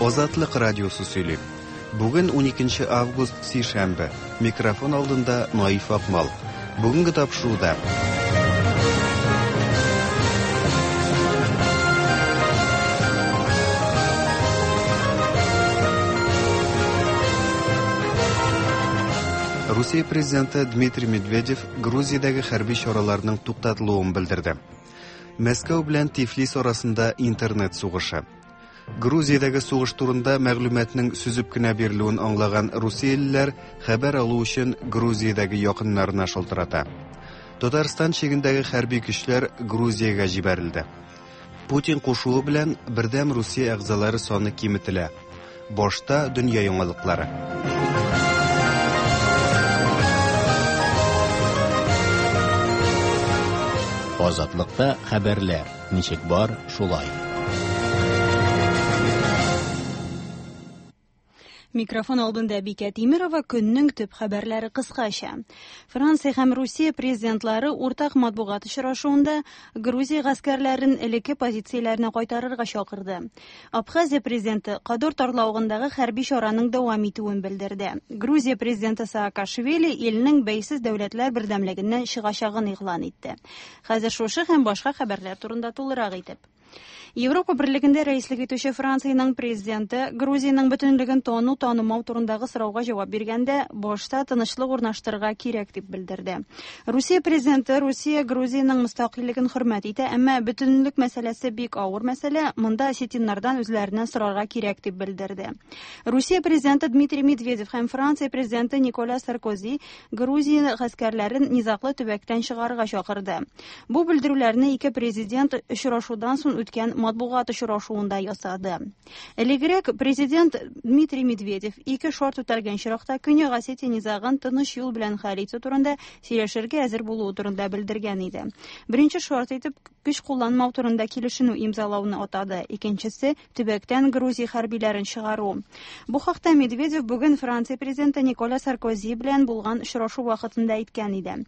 Азатлык радиосы сөйли. Бүген 12 август, сишәмбе. Микрофон алдында Наиф Акмал. Бүгенге тапшыруда Русия президенты Дмитрий Медведев Грузиядәге хәрби чараларның туктатылуын белдерде. Мәскәү белән Тифлис арасында интернет сугышы. Грузиядәге сугыш турында мәгълүматның сөзеп кенә бирелүен аңлаган русиялеләр хәбәр алу өчен Грузиядәге якыннарына шалтырата. Татарстан чигендәге хәрби көчләр Грузиягә җибәрелде. Путин кушуы белән Бердәм Русия әгъзалары саны киметелә. Башта дөнья яңалыклары. Азатлыкта хәбәрләр ничек бар, шулай. Микрофон алдында Бикә Тимирова көннең төп хәбәрләре кыскача. Франция һәм Русия президентлары уртак матбугат очрашуында Грузия гаскәрләрен элекке позицияләренә кайтарырга чакырды. Абхазия президенты Кадор тарлавыгындагы хәрби чараның дәвам итүен белдерде. Грузия президенты Саакашвили илнең бәйсез дәүләтләр бердәмлегеннән чыгачагын игълан итте. Хәзер шушы һәм башка хәбәрләр турында тулырак итеп. Европа Берлегендә рәислек итүче Франциянең президенты Грузиянең бөтенлеген тану-танымау турындагы сорауга җавап биргәндә, башта тынычлык урнаштырырга кирәк дип белдерде. Русия президенты Русия Грузиянең мөстәкыйльлеген хөрмәт итә, әмма бөтенлек мәсьәләсе бик авыр мәсьәлә, монда осетиннардан үзләреннән сорарга кирәк дип белдерде. Русия президенты Дмитрий Медведев һәм Франция президенты Николя Саркози Грузия гаскәрләрен низаглы төбәктән чыгарырга чакырды. Бу белдерүләрне ике президент очрашудан соң үткән матбугат очрашуында ясады. Элегрәк президент Дмитрий Медведев ике шарт үтәлгән очракта Көньяк Осетия низагын тыныч юл белән хәл итү турында сөйләшергә әзер булуы турында белдергән иде. Беренче шарт итеп көч кулланмау турында килешенү имзалауны атады. Икенчесе төбәктән Грузия хәрбиләрен чыгару. Бу хакта Медведев бүген Франция президенты Николя Саркози белән булган очрашу вакытында әйткән иде.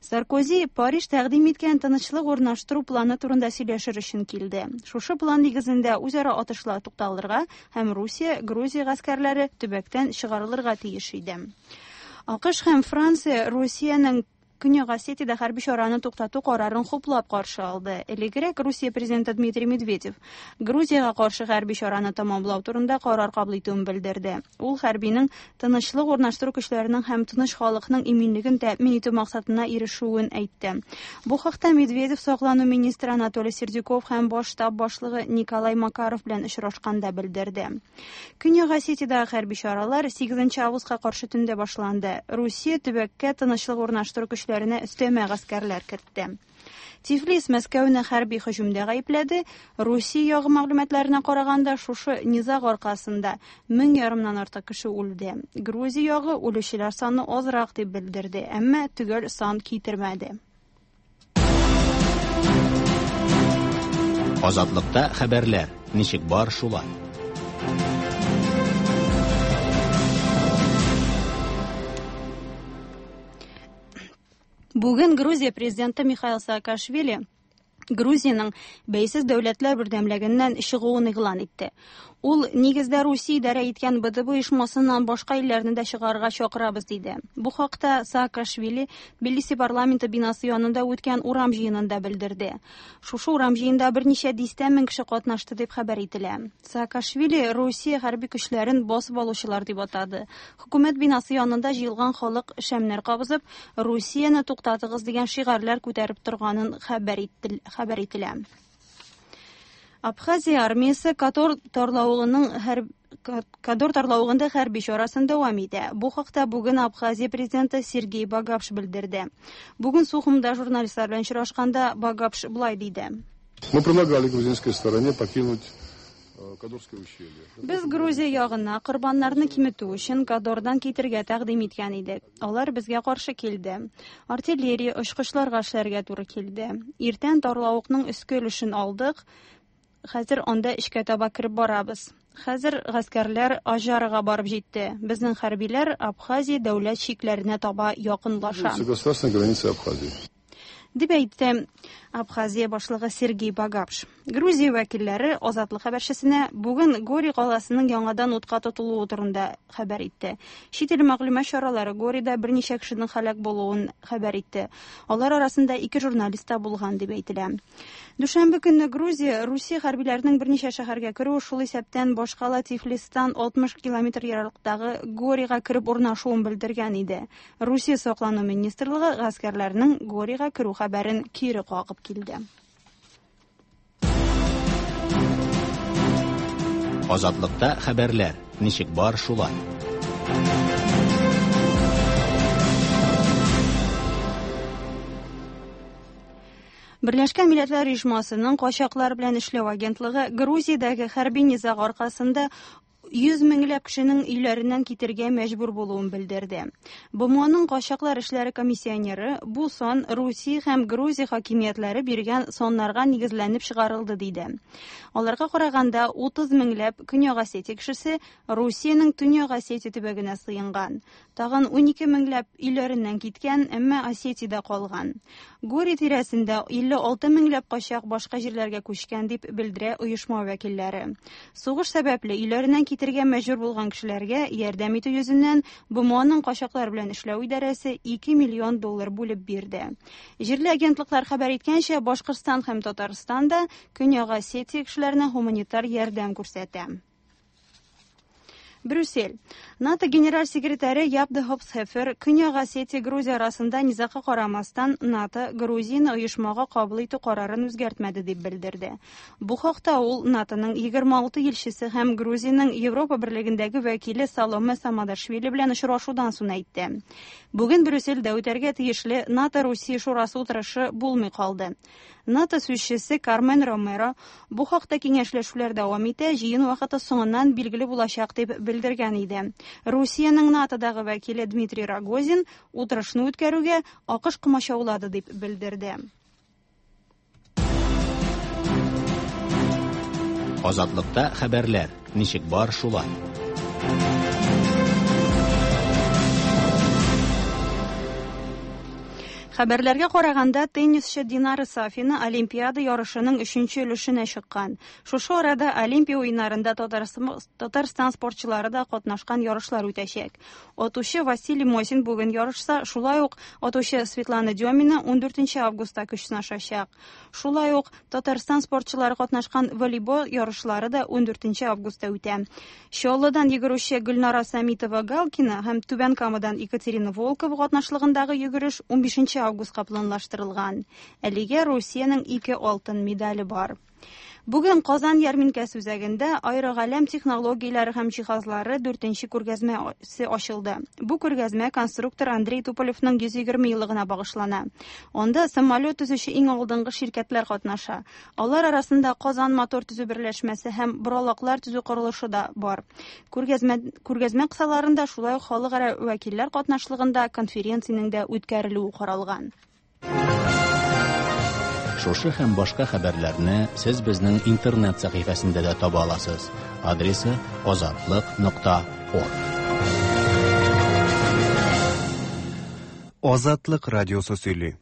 Саркози Париж тәкъдим иткән тынычлык урнаштыру планы турында сөйләшер өчен килде. Шушы план нигезендә үзара атышлар тукталырга һәм Русия, Грузия гаскәрләре төбәктән чыгарылырга тиеш иде. АКШ һәм Франция Русиянең Көньяк Осетиядә хәрби чараны туктату карарын хуплап каршы алды. Элегрәк Русия президенты Дмитрий Медведев Грузиягә каршы хәрби чараны тәмамлау турында карар кабул итүен белдерде. Ул хәрбинең тынычлык урнаштыру көчләренең һәм тыныч халыкның иминлеген тәэмин итү максатына ирешүен әйтте. Бу хакта Медведев саклану министры Анатолий Сердюков һәм баш штаб башлыгы Николай Макаров белән очрашканда белдерде. Көньяк Осетиядәге хәрби чаралар 8 августка каршы төндә башланды. Русия төбәккә тынычлык урнаштыру көчләренә өстәмә гаскәрләр кертте. Тифлис Мәскәүне хәрби һөҗүмдә гаепләде. Русия ягы мәгълүматларына караганда, шушы низаг аркасында мең ярымнан артык кеше үлде. Грузия ягы үлүчеләр саны азрак дип белдерде, әмма төгәл сан китермәде. Азатлыкта хәбәрләр ничек бар шулай. Бүген Грузия президенты Михаил Саакашвили Грузиянең бәйсез дәүләтләр бердәмлегеннән чыгуын игълан итте. Ул нигездә Русия идарә иткән БДБ оешмасыннан башка илләрне дә чыгарырга чакырабыз диде. Бу хакта Саакашвили Тбилиси парламенты бинасы янында үткән урам җыенында белдерде. Шушы урам җыенда берничә дистә мең кеше катнашты дип хәбәр ителә. Саакашвили Русия хәрби көчләрен басып алучылар дип атады. Хөкүмәт бинасы янында җыелган халык шәмнәр кабызып, Русияне туктатыгыз дигән шигарьләр күтәреп торганын хәбәр хәбәр ителә. Абхазия армиясе Катор тарлавыгының һәр Кадор тарлавыгында хәрби чарасын дәвам итә. Бу хакта бүген Абхазия президенты Сергей Багапш белдерде. Бүген Сухумда журналистлар белән очрашканда Багапш болай диде. Мы предлагали грузинской стороне покинуть Без Грузия ягына корбаннарны киметү өчен Кадордан китергә тәкъдим иткән идек. Алар безгә каршы килде. Артиллерия очкычларга эшләргә туры килде. Иртән тарлавыкның өске өлешен алдык. Хәзер анда эчкә таба кереп барабыз. Хәзер гаскәрләр Аҗарага барып җитте. Безнең хәрбиләр Абхазия дәүләт чикләренә таба якынлаша. Государственной границы Абхазии. Дип әйтте Абхазия башлыгы Сергей Багапш. Грузия вәкилләре Азатлык хәбәрчесенә бүген Гори каласының яңадан утка тотылуы турында хәбәр итте. Чит ил мәгълүмат чаралары Горида берничә кешенең һәлак булуын хәбәр итте. Алар арасында ике журналист та булган дип әйтелә. Дүшәмбе көнне Грузия Русия хәрбиләренең берничә шәһәргә керүе, шул исәптән башкала Тифлистан 60 километр ераклыктагы Горига кереп урнашуын белдергән иде. Русия саклану министрлыгы гаскәрләрнең Горига керү хәбәрен кире кагып килде. Азатлыкта хәбәрләр ничек бар шулай. Берләшкән Милләтләр Оешмасының качаклар белән эшләү агентлыгы Грузиядәге хәрби низаг аркасында 100 меңләп кешенең өйләреннән китергә мәҗбүр булуын белдерде. БМОның качаклар эшләре комиссионеры бу сан Русия һәм Грузия хакимиятләре биргән саннарга нигезләнеп чыгарылды диде. Аларга караганда 30 меңләп Көньяк Осетия кешесе Русиянең Төньяк Осетия төбәгенә сыенган. Тагын 12 меңләп өйләреннән киткән, әмма Осетиядә калган. Гори тирәсендә 56 меңләп качак башка җирләргә күчкән дип белдерә оешма вәкилләре. Сугыш сәбәпле өйләреннән китергә мәҗбүр булган кешеләргә ярдәм итү йөзеннән БМОның качаклар белән эшләү идарәсе 2 миллион доллар бүлеп бирде. Җирле агентлыклар хәбәр иткәнчә, Башкортстан һәм Татарстан да Көньяк Осетия кешеләренә гуманитар ярдәм күрсәтә. Брюссель. НАТО генераль секретаре Яп де Хопсхефер Көньяк Осетия Грузия арасында низагка карамастан НАТО Грузияне оешмага кабул итү карарын үзгәртмәде дип белдерде. Бу хакта ул НАТОның 26 илчесе һәм Грузиянең Европа берлегендәге вәкиле Саломе Самадашвили белән очрашудан соң әйтте. Бүген Брюссельдә үтәргә тиешле НАТО-Русия шурасы утырышы булмый калды. НАТО сүзчесе Кармен Ромеро бу хакта киңәшләшүләр дәвам итә, җыен вакыты соңыннан билгеле булачак дип белдергән иде. Русиянең НАТОдагы вәкиле Дмитрий Рогозин утырышны үткәрүгә АКШ комачаулады дип белдерде. Азатлыкта хәбәрләр ничек бар шулай. Хәбәрләргә караганда, теннисчы Динара Сафина Олимпиада ярышының 3нче өлешенә чыккан. Шушы арада Олимпия уеннарында Татарстан спортчылары да катнашкан ярышлар үтәчәк. Атучы Василий Мосин бүген ярышса, шулай ук атучы Светлана Демина 14 августта көч сынашачак. Шулай ук Татарстан спортчылары катнашкан волейбол ярышлары да 14 августта үтә. Чаллыдан йөгерүче Гөлнара Самитова-Галкина һәм Түбән Камадан Екатерина Волкова катнашлыгындагы йөгереш 15 августка планлаштырылган. Әлегә Русиянең 2 алтын медале бар. Бүген Казан ярминкәсе үзәгендә аэрогаләм технологияләре һәм җиһазлары 4нче күргәзмәсе ачылды. Бу күргәзмә конструктор Андрей Туполевның 120 еллыгына багышлана. Анда самолет төзүче иң алдынгы ширкәтләр катнаша. Алар арасында Казан мотор төзү берләшмәсе һәм боралаклар төзү корылышы да бар. Күргәзмә кысаларында шулай ук халыкара вәкилләр катнашлыгында конференциянең дә үткәрелүе каралган. Шушы һәм башка хәбәрләрне сез безнең интернет сәхифәсендә дә таба аласыз. Адресы azatliq.org. Азатлык радиосы сөйли.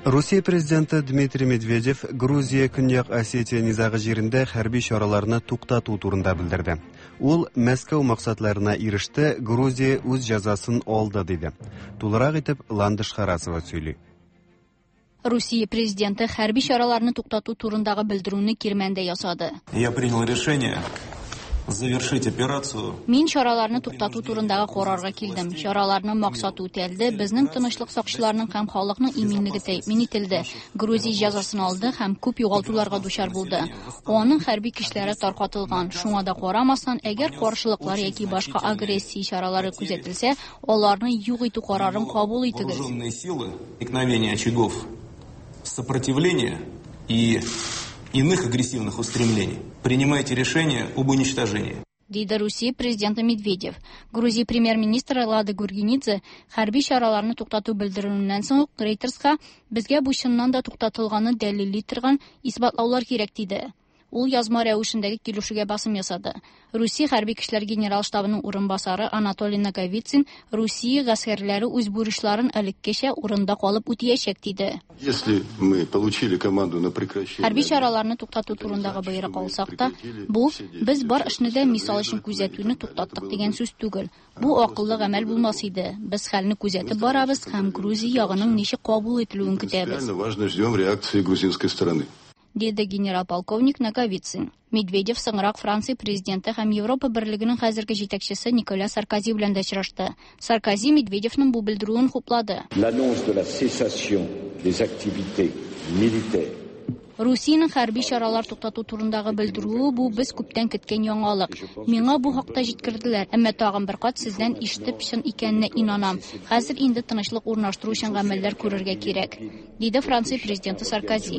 Русия президенты Дмитрий Медведев Грузия Көньяк Осетия низагы җирендә хәрби чараларны туктату турында белдерде. Ул Мәскәү максатларына иреште, Грузия үз җәзасын алды диде. Тулырак итеп Ландыш Харасова сөйли. Русия президенты хәрби чараларны туктату турындагы белдерүне Кирмәндә ясады. Я принял решение завершить операцию. Мин чараларны туктату турындагы карарга килдем. Чараларның максаты үтәлде, безнең тынычлык сакчыларының һәм халыкның иминлеге тәэмин ителде. Грузия җәзасын алды һәм күп югалтуларга дучар булды. Аның хәрби көчләре таркатылган. Шуңа да карамастан, әгәр каршылыклар яки башка агрессия чаралары күзәтелсә, аларны юк итү карарын кабул итегез. Вооруженные силы, возникновение очагов сопротивления и иных агрессивных устремлений. Принимайте решение об уничтожении. Диде Русия президенты Медведев. Грузия премьер-министры Лада Гургенидзе хәрби чараларны туктату белдерүеннән соң ук Рейтерска безгә бу чыннан да туктатылганын дәлилли торган исбатлаулар кирәк диде. Ул язма рәвешендәге килешүгә басым ясады. Русия хәрби көчләр генерал штабының урынбасары Анатолий Наговицын Русия гаскәрләре үз бурычларын элеккечә урында калып үтәячәк диде. Если мы получили команду на прекращение Хәрби чараларны туктату турындагы боерык алсак та, бу без бар эшне дә мисал өчен күзәтүне туктаттык дигән сүз түгел. Бу акыллы гамәл булмас иде. Без хәлне күзәтеп барабыз һәм Грузия ягының ничек кабул ителүен көтәбез. Важно, ждем реакции грузинской стороны. Диде генерал-полковник Наговицын. Медведев соңрак Франция президенты һәм Европа берлегенең хәзерге җитәкчесе Николя Саркози белән дә очрашты. Саркози Медведевның бу белдерүен хуплады. L'annonce de la cessation des activités militaires. Русиянең хәрби чаралар туктату турындагы белдерүе бу без күптән көткән яңалык. Миңа бу хакта җиткерделәр, әмма тагын бер кат сездән ишетеп чын икәненә инанам. Хәзер инде тынычлык урнаштыру өчен гамәлләр күрергә кирәк, диде Франция президенты Саркози.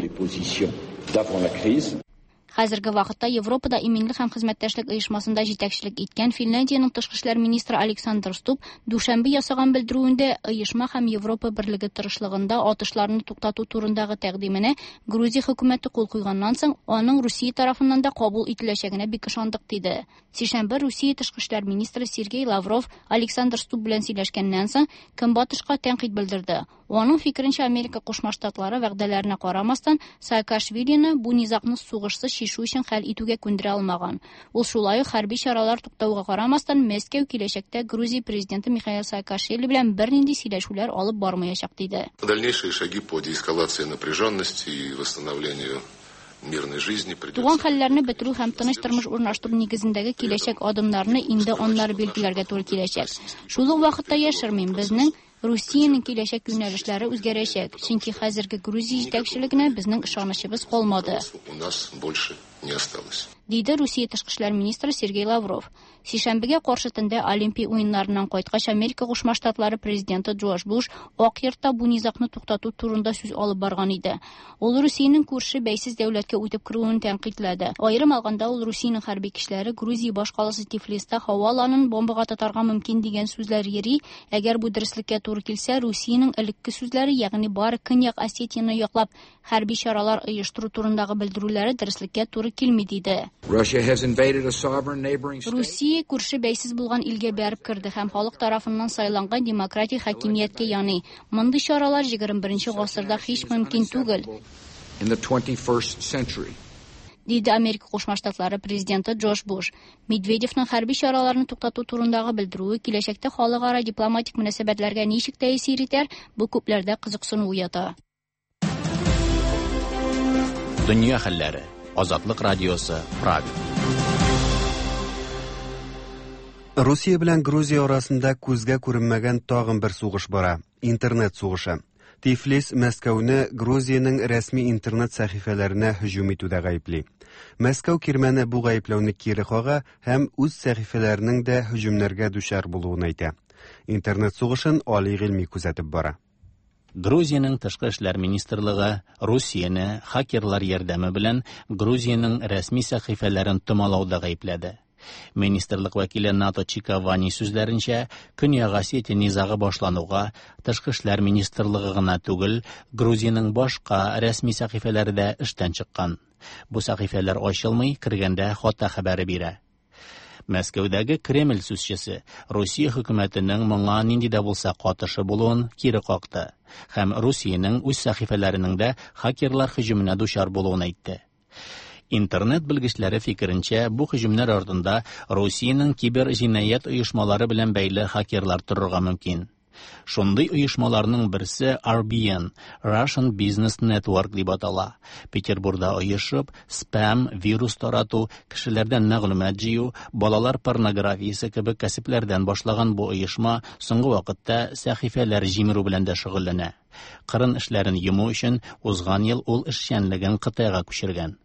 Хәзерге вакытта Европада иминлек һәм хезмәттәшлек оешмасында җитәкчелек иткән Финляндиянең тышкы эшләр министры Александр Стуб дүшәмбе ясаган белдерүендә оешма һәм Европа берлеге тырышлыгында атышларны туктату турындагы тәкъдименә Грузия хөкүмәте кул куйганнан соң аның Русия тарафыннан да кабул ителәчәгенә бик ышандык диде. Сишәмбе Русия тышкы эшләр министры Сергей Лавров Александр Стуб белән сөйләшкәннән соң Көнбатышка тәнкыйть белдерде. Аның фикеренчә, Америка Кушма Штатлары вәгъдәләренә карамастан Саакашвилины бу низагны сугышсыз чишү өчен хәл итүгә күндерә алмаган. Ул шулай ук хәрби чаралар туктауга карамастан Мәскәү киләчәктә Грузия президенты Михаил Саакашвили белән бернинди сөйләшүләр алып бармаячак диде. Дальнейшие шаги по деэскалации напряженности и восстановлению мирной жизни придется. Туган хәлләрне бетерү һәм тыныч тормыш урнаштыру нигезендәге киләчәк адымнарны инде аннары билгеләргә туры киләчәк. Шул ук вакытта яшермим, безнең Русиянең киләчәк юнәлешләре үзгәрәчәк, чөнки хәзерге Грузия җитәкчелегенә безнең ышанычыбыз калмады. У нас больше не осталось. Диде Русия тышкы эшләр министры Сергей Лавров. Сишәмбегә каршы төндә Олимпия уеннарыннан кайткач Америка Кушма Штатлары президенты Джордж Буш Ак йортта бу низагны туктату турында сүз алып барган иде. Ул Русиянең күрше бәйсез дәүләткә үтеп керүен тәнкыйтьләде. Аерым алганда ул Русиянең хәрби көчләре Грузия башкаласы Тифлиста һава аланын бомбага тотарга мөмкин дигән сүзләр йөри. Әгәр бу дөреслеккә туры килсә, Русиянең элекке сүзләре, ягъни бары Көньяк Осетияне яклап хәрби чаралар оештыру турындагы белдерүләре дөреслеккә туры килми диде. Russia has invaded a sovereign neighboring state. Русия күрше бәйсез булган илгә бәреп керде һәм халык тарафыннан сайланган демократик хакимияткә яный. Мондый чаралар 21 гасырда һич мөмкин түгел. In the 21st century. Диде Америка Кушма Штатлары президенты Джордж Буш. Медведевның хәрби чараларны туктату турындагы белдерүе киләчәктә халыкара дипломатик мөнәсәбәтләргә ничек тәэсир итәр, бу күпләрдә кызыксыну уята. Дөнья хәлләре. Азатлык радиосы, Прага. Русия белән Грузия арасында күзгә күренмәгән тагын бер сугыш бара. Интернет сугышы. Тифлис Мәскәүне Грузиянең рәсми интернет сәхифәләренә һөҗүм итүдә гаепли. Мәскәү кирмәне бу гаепләүне кире кага һәм үз сәхифәләренең дә һөҗүмнәргә дучар булуын әйтә. Интернет сугышын Али Гыйльми күзәтеп бара. Грузиянең тышкы эшләр министрлыгы Русияне хакерлар ярдәме белән Грузиянең рәсми сәхифәләрен томалауда гаепләде. Министрлык вәкиле Нато Чиковани сүзләренчә, Көньяк Осетия низагы башлануга тышкы эшләр министрлыгы гына түгел, Грузиянең башка рәсми сәхифәләре дә эштән чыккан. Бу сәхифәләр ачылмый, кергәндә хата хәбәре бирә. Мәскәүдәге Кремль сүзчесе Русия хөкүмәтенең моңа нинди дә булса катышы булуын кире какты һәм Русиянең үз сәхифәләренең дә хакерлар һөҗүменә дучар булуын әйтте. Интернет белгечләре фикеренчә, бу һөҗүмнәр артында Русиянең кибер җинаять оешмалары белән бәйле хакерлар торырга мөмкин. Шундый оешмаларның берсе RBN, Russian Business Network дип атала. Петербургда оешып, спам, вирус тарату, кешеләрдән мәгълүмат җыю, балалар порнографиясе кебек кәсепләрдән башлаган бу оешма соңгы вакытта сәхифәләр җимерү белән дә шөгыльләнә. Кырын эшләрен йому өчен узган ел ул эшчәнлеген Кытайга күчергән.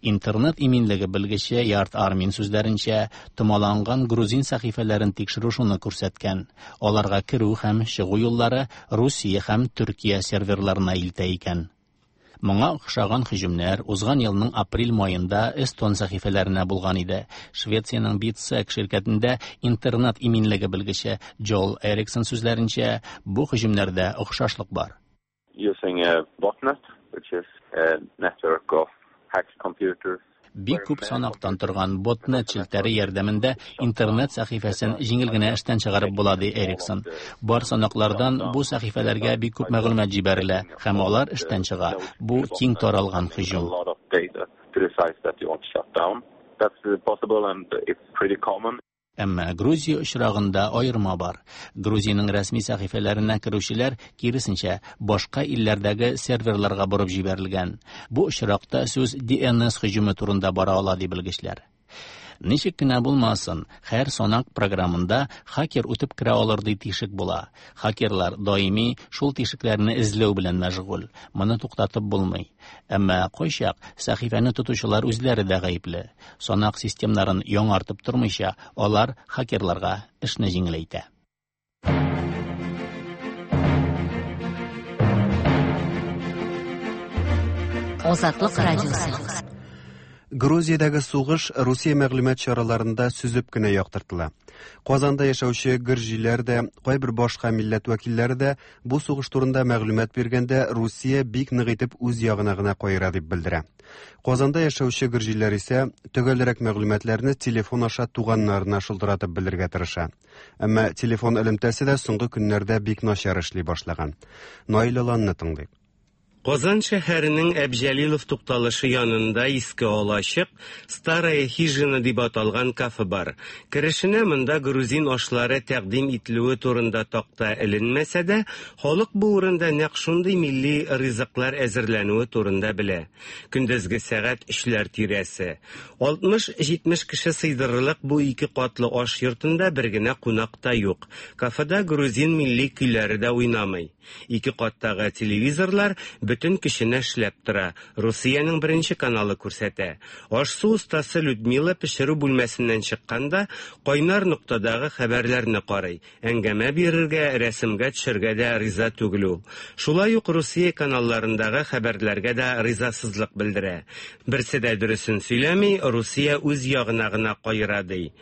Интернет иминлеге белгече Ярт Армин сүзләренчә, томаланган грузин сәхифәләрен тикшерү шуны күрсәткән. Аларга керү һәм чыгу юллары Русия һәм Төркия серверларына илтә икән. Моңа охшаган һөҗүмнәр узган елның апрель маенда Эстон сәхифәләренә булган иде. Швециянең BitSec ширкәтендә интернет иминлеге белгече Джол Эриксон сүзләренчә, бу һөҗүмнәрдә охшашлык бар. Using a botnet, which is a network of Бик күп санактан торган ботнет челтәре ярдәмендә интернет сәхифәсен җиңел генә эштән чыгарып була, ди Эриксон. Бар санаклардан бу сәхифәләргә бик күп мәгълүмат җибәрелә һәм алар эштән чыга. Бу киң таралган һөҗүм. Әмма Грузия очрагында аерма бар. Грузиянең рәсми сәхифәләренә керүчеләр, киресенчә, башка илләрдәге серверларга борып җибәрелгән. Бу очракта сүз DNS һөҗүме турында бара ала, ди белгечләр. Ничек кенә булмасын, һәр санак програмында хакер үтеп керә алырдай тишек була. Хакерлар даими шул тишекләрне эзләү белән мәшгуль. Моны туктатып булмый. Әмма кайчак сәхифәне тотучылар үзләре дә гаепле. Санак системнарын яңартып тормыйча, алар хакерларга эшне җиңеләйтә. Азатлык радиосы. Грузиядәге сугыш Русия мәгълүмат чараларында сөзеп кенә яктыртыла. Казанда яшәүче гөрҗиләр дә, кайбер башка милләт вәкилләре дә бу сугыш турында мәгълүмат биргәндә Русия бик нык итеп үз ягына гына каера дип белдерә. Казанда яшәүче гөрҗиләр исә төгәлрәк мәгълүматларны телефон аша туганнарына шылтыратып белергә тырыша. Әмма телефон элемтәсе дә соңгы көннәрдә бик начар эшли башлаган. Наил Аланны тыңлыйк. Казан шәһәренең Әбҗәлилов тукталышы янында иске алачык Старая хижина дип аталган кафе бар. Керешенә монда грузин ашлары тәкъдим ителүе турында такта эленмәсә дә, халык бу урында нәкъ шундый милли ризыклар әзерләнүе турында белә. Көндезге сәгать өчләр тирәсе. 60-70 кеше сыйдырырлык бу ике катлы аш йортында бер генә кунак та юк. Кафеда грузин милли көйләре дә уйнамый. Ике каттагы телевизорлар бөтен көченә эшләп тора. Русиянең беренче каналы күрсәтә. Аш-су остасы Людмила пешерү бүлмәсеннән чыкканда кайнар ноктадагы хәбәрләрне карый. Әңгәмә бирергә, рәсемгә төшергә дә риза түгел ул. Шулай ук Русия каналларындагы хәбәрләргә дә ризасызлык белдерә. Берсе дә дөресен сөйләми, Русия үз ягына гына каера ди.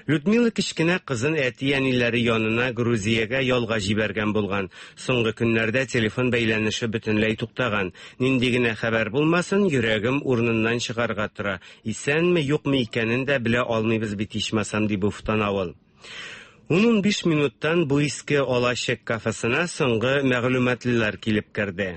Людмила кечкенә кызын әти-әниләре янына Грузиягә ялга җибәргән булган. Соңгы көннәрдә телефон бәйләнеше бөтенләй туктаган. Нинди генә хәбәр булмасын, йөрәгем урыныннан чыгарга тора. Исәнме, юкмы икәнен дә белә алмыйбыз бит ичмасам, ди уфтана ул. 10-15 минуттан бу иске алачык кафесына соңгы мәгълүматлылар килеп керде.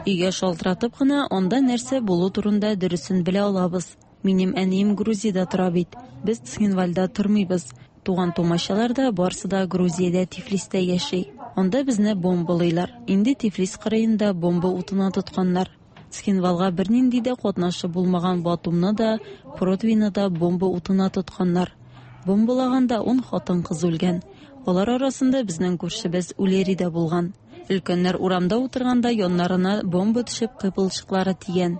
Өйгә шалтыратып кына анда нәрсә булу турында дөресен белә алабыз. Минем әнием Грузиядә тора бит. Без Цхинвальда тормыйбыз. Туган-тумачалар да барсы да Грузиядә Тифлистә яши. Анда безне бомбалыйлар. Инде Тифлис кырыенда бомба утына тотканнар. Цхинвалга бернинди дә катнашы булмаган Батумны да, Протвины да бомба утына тотканнар. Бомбалаганда 10 хатын-кыз үлгән. Алар арасында безнең күршебез Улери дә булган. Өлкәннәр урамда утырганда яннарына бомба төшеп кыйпылчыклары тигән.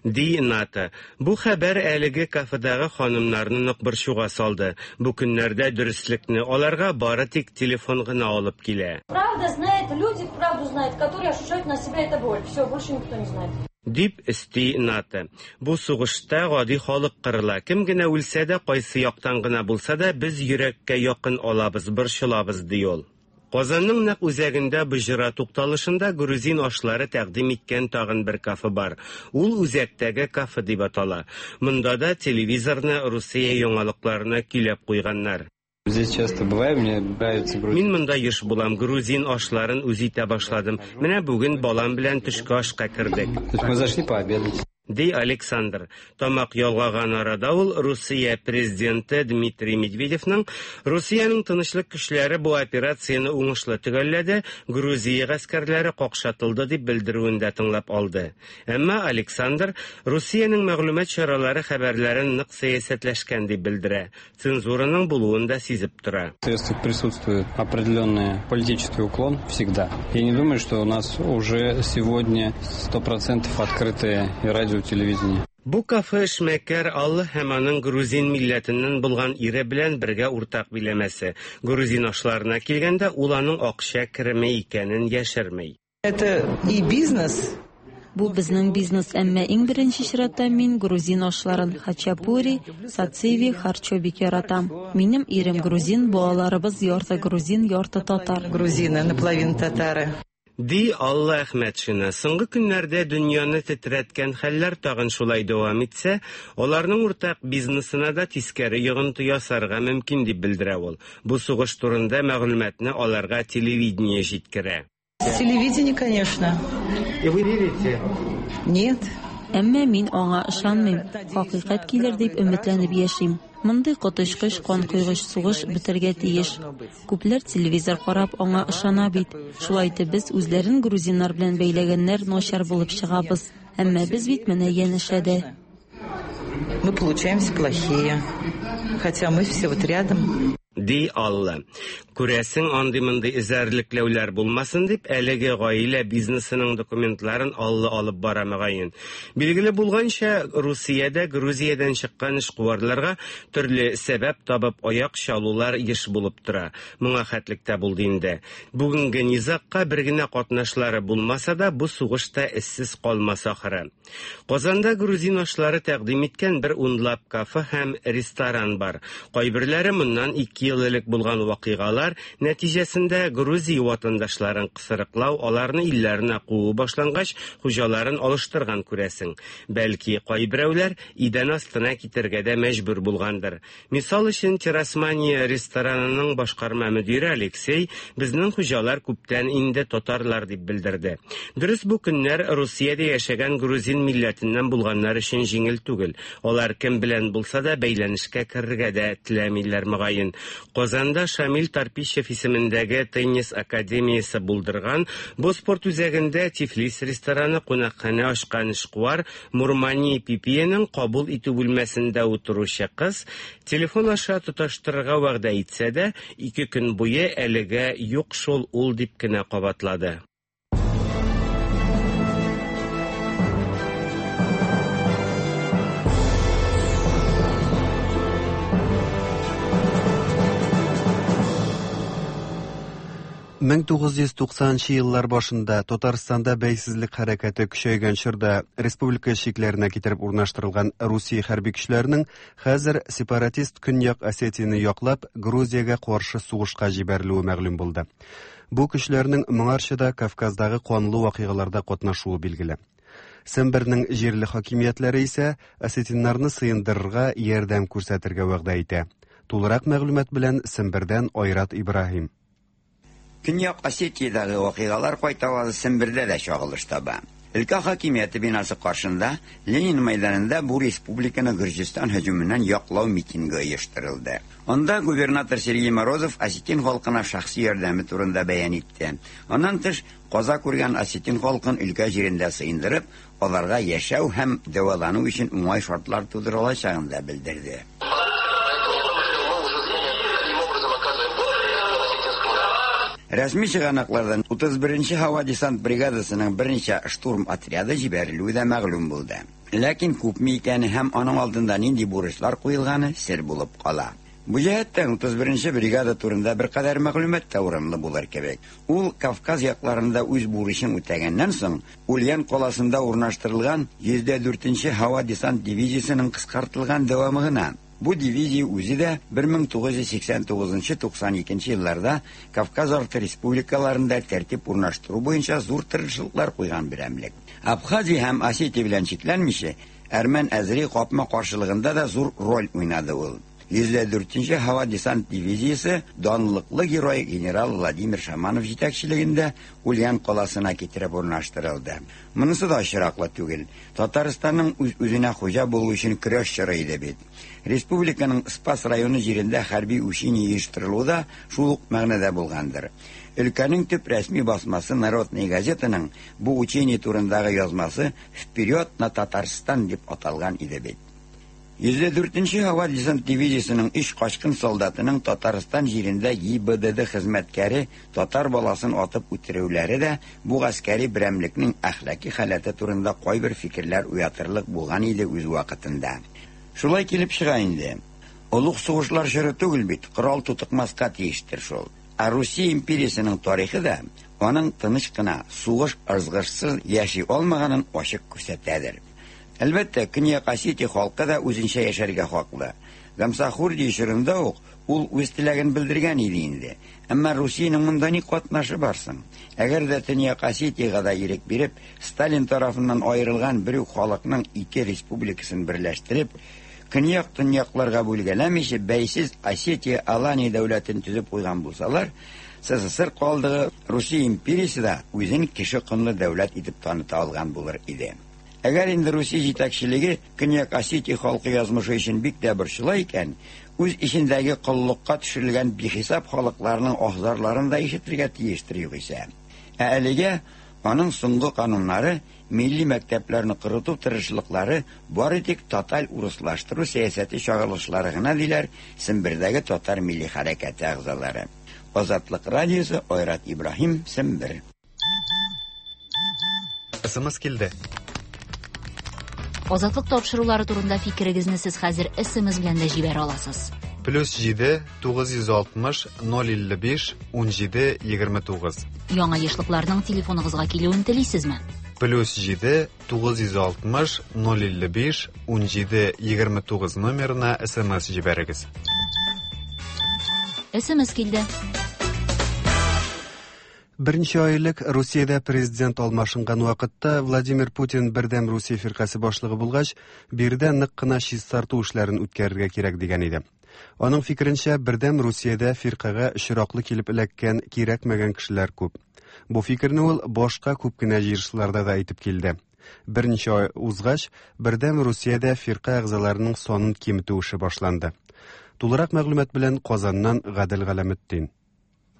Ди Ната. Бу хәбәр әлеге кафедагы ханымнарны нык борчуга салды. Бу көннәрдә дөреслекне аларга бары тик телефон гына алып килә. Правда знает, люди правду знают, которые ощущают на себе это боль. Все, больше никто не знает. Дип өсти Ната. Бу сугышта гади халык кырыла. Кем генә үлсә дә, кайсы яктан гына булса да, без йөрәккә якын алабыз, борчылабыз, ди ул. Казанның нәкъ үзәгендә Боҗра тукталышында грузин ашлары тәкъдим иткән тагын бер кафе бар. Ул үзәктәге кафе дип атала. Монда да телевизорны Русия яңалыкларына көйләп куйганнар. Здесь часто бываю, мне нравится грузин. Мин монда еш булам, грузин ашларын үз итә башладым. Менә бүген балам белән төшке ашка кердек. То есть мы зашли пообедать. Ди Александр. Тамак ялгаган арада ул Русия президенты Дмитрий Медведевның Русиянең тынычлык көчләре бу операцияне уңышлы төгәлләде, Грузия гаскәрләре какшатылды дип белдерүен дә тыңлап алды. Әмма Александр Русиянең мәгълүмат чаралары хәбәрләрен нык сәясәтләшкән дип белдерә. Цензураның булуын да сизеп тора. В средствах присутствует определенный политический уклон всегда. Я не думаю, что у нас уже сегодня 100% открытое радио, телевидение. Бу кафе эшмәкәр Алла һәм аның грузин милләтеннән булган ире белән бергә уртак биләмәсе. Грузин ашларына килгәндә, ул аның акча кереме икәнен яшерми. Это и бизнес. Бу безнең бизнес, әмма иң беренче чиратта мин грузин ашларын хачапури, сациви, харчо бик яратам. Минем ирем грузин, балаларыбыз ярты грузин, ярты татар. Грузины, наполовину татары. Ди Алла Әхмәтшина. Соңгы көннәрдә дөньяны тетрәткән хәлләр тагын шулай дәвам итсә, аларның уртак бизнесына да тискәре йогынты ясарга мөмкин дип белдерә ул. Бу сугыш турында мәгълүматны аларга телевидение җиткерә. Телевидение, конечно. И вы верите? Нет. Әмма мин аңа ышанмыйм. Хакыйкать килер дип өметләнеп яшим. Мондый коточкыч канкойгыч сугыш бетәргә тиеш. Күпләр телевизор карап аңа ышана бит. Шулай итеп без үзләрен грузиннар белән бәйләгәннәр начар булып чыгабыз. Әмма без бит менә янәшәдә. Мы получаемся плохие. Хотя мы все вот рядом. Ди Алла. Күрәсең, андый-мондый эзәрлекләүләр булмасын дип, әлеге гаилә бизнесының документларын Алла алып бара мөгаен. Билгеле булганча, Русиядә Грузиядән чыккан эшкуарларга төрле сәбәп табып аяк чалулар еш булып тора. Моңа хәтлек тә булды инде. Бүгенге низагка бер генә катнашлары булмаса да, бу сугыш та эзсез калмас ахыры. Казанда грузин ашлары тәкъдим иткән бер унлап кафе һәм ресторан бар. Кайберләре моннан 2 ел элек булган вакыйгалар нәтиҗәсендә Грузия ватандашларын кысрыклау, аларны илләренә куу башлангач, хуҗаларын алыштырган күрәсең. Бәлки, кайберәүләр идән астына китәргә дә мәҗбүр булгандыр. Мисал өчен, Террасмания ресторанының башкарма мөдире Алексей безнең хуҗалар күптән инде татарлар дип белдерде. Дөрес, бу көннәр Русиядә яшәгән грузин милләтеннән булганнар өчен җиңел түгел. Алар кем белән булса да бәйләнешкә керергә дә теләмиләр мөгаен. Казанда Шамил Тарпищев исемендәге теннис академиясе булдырган бу спорт үзәгендә Тифлис рестораны кунакханә ачкан эшкуар Мурмани Пипиянең кабул итү бүлмәсендә утыручы кыз телефон аша тоташтырырга вәгъдә итсә дә, 2 көн буе әлегә юк шул ул дип кенә кабатлады. Мең тугыз йөз туксанынчы еллар башында Татарстанда бәйсезлек хәрәкәте көчәйгән чорда республика чикләренә китереп урнаштырылган Русия хәрби көчләренең хәзер сепаратист Көньяк Осетияне яклап Грузиягә каршы сугышка җибәрелүе мәгълүм булды. Бу көчләрнең моңарчы да Кавказдагы канлы вакыйгаларда катнашуы билгеле. Сембернең җирле хакимиятләре исә осетиннарны сыендырырга ярдәм күрсәтергә вәгъдә итә. Тулырак мәгълүмат белән Сембердән Айрат Ибраһим. Көньяк Осетиядәге вакыйгалар кайтавазы Сембердә дә чагылыш таба. Өлкә хакимияте бинасы каршында Ленин мәйданында бу республиканы Гөрҗистан һөҗүменнән яклау митингы оештырылды. Анда губернатор Сергей Морозов осетин халкына шәхси ярдәме турында бәян итте. Аннан тыш, каза күргән осетин халкын өлкә җирендә сыендырып, аларга яшәү һәм дәвалану өчен уңай шартлар тудырылачагын да белдерде. Рәсми чыганаклардан 31 һава десант бригадасының берничә штурм отряды җибәрелүе дә мәгълүм булды. Ләкин күпме икәне һәм аның алдында нинди бурычлар куелганы сер булып кала. Бу җәһәттән 31 бригада турында беркадәр мәгълүмат та урынлы булыр кебек. Ул Кавказ якларында үз бурычын үтәгәннән соң, Ульян каласында урнаштырылган 104 һава десант дивизиясенең кыскартылган дәвамы гына. Бу дивизия үзе дә 1989-92 елларда Кавказ арты республикаларында тәртип урнаштыру буенча зур тырышлыклар куйган берәмлек. Абхазия һәм Осетия белән чикләнмичә, әрмән-әзери капма-каршылыгында да зур роль уйнады ул. 104 һава десант дивизиясе данлыклы герой генерал Владимир Шаманов җитәкчелегендә Ульян каласына китереп урнаштырылды. Монысы да очраклы түгел. Татарстанның үз-үзенә хуҗа булу өчен көрәш чоры иде бит. Республиканың Спас районы җирендә хәрби учение оештырылуы да шул ук мәгънәдә булгандыр. Өлкәнең төп рәсми басмасы Народная газетаның бу учение турындагы язмасы «Вперед на Татарстан» дип аталган иде бит. 104 һава десант дивизиясенең 3 качкын солдатының Татарстан җирендә ГИБДД хезмәткәре татар баласын атып үтерүләре дә бу гаскәри берәмлекнең әхлаки халәте турында кайбер фикерләр уятырлык булган иде үз вакытында. Шулай килеп чыга инде. Олуг сугышлар чоры түгел бит, корал тотыкмаска тиештер шул. Ә Русия империясенең тарихы да аның тыныч кына, сугыш ызгышсыз яши алмаганын ачык күрсәтәдер. Әлбәттә, Көньяк Осетия халкы да үзенчә яшәргә хаклы. Гамсахурдия чорында ук ул үз теләген белдергән иде инде. Әмма Русиянең монда ни катнашы бар соң? Әгәр дә Төньяк Осетиягә дә ирек биреп, Сталин тарафыннан аерылган бер үк халыкның ике республикасын берләштереп, көньяк-төньякларга бүлгәләмичә, бәйсез Осетия-Алания дәүләтен төзеп куйган булсалар, СССР калдыгы Русия империясе дә үзен кеше конлы дәүләт итеп таныта алган булыр иде. Әгәр инде Русия җитәкчелеге Көньяк Осетия халкы язмышы өчен бик тә борчыла икән, үз эчендәге коллыкка төшерелгән бихисап халыкларның аһ-зарларын да ишетергә тиештер югыйсә. Ә әлегә аның соңгы кануннары, милли мәктәпләрне корыту тырышлыклары бары тик тоталь урыслаштыру сәясәте чагылышлары гына, диләр Сембердәге татар милли хәрәкәте әгъзалары. Азатлык радиосы, Айрат Ибраһим, Сембер. СМС килде. Азатлык тапшырулары турында фикерегезне сез хәзер СМС белән дә җибәрә аласыз. Плюс 7 960 055 17 29. Яңа ешлыкларның телефоныгызга килүен телисезме? Плюс 7 960 055 17 29 номерына СМС җибәрегез. СМС килде. Берничә ай элек Русиядә президент алмашынган вакытта Владимир Путин Бердәм Русия фиркасе башлыгы булгач, биредә нык кына чистарту эшләрен үткәрергә кирәк дигән иде. Аның фикеренчә, Бердәм Русиядә фиркагә очраклы килеп эләккән кирәкмәгән кешеләр күп. Бу фикерне ул башка күп кенә җыелышларда да әйтеп килде. Берничә ай узгач, Бердәм Русиядә фирка әгъзаларының санын киметү эше башланды. Тулырак мәгълүмат белән Казаннан Гадел Галәметдин.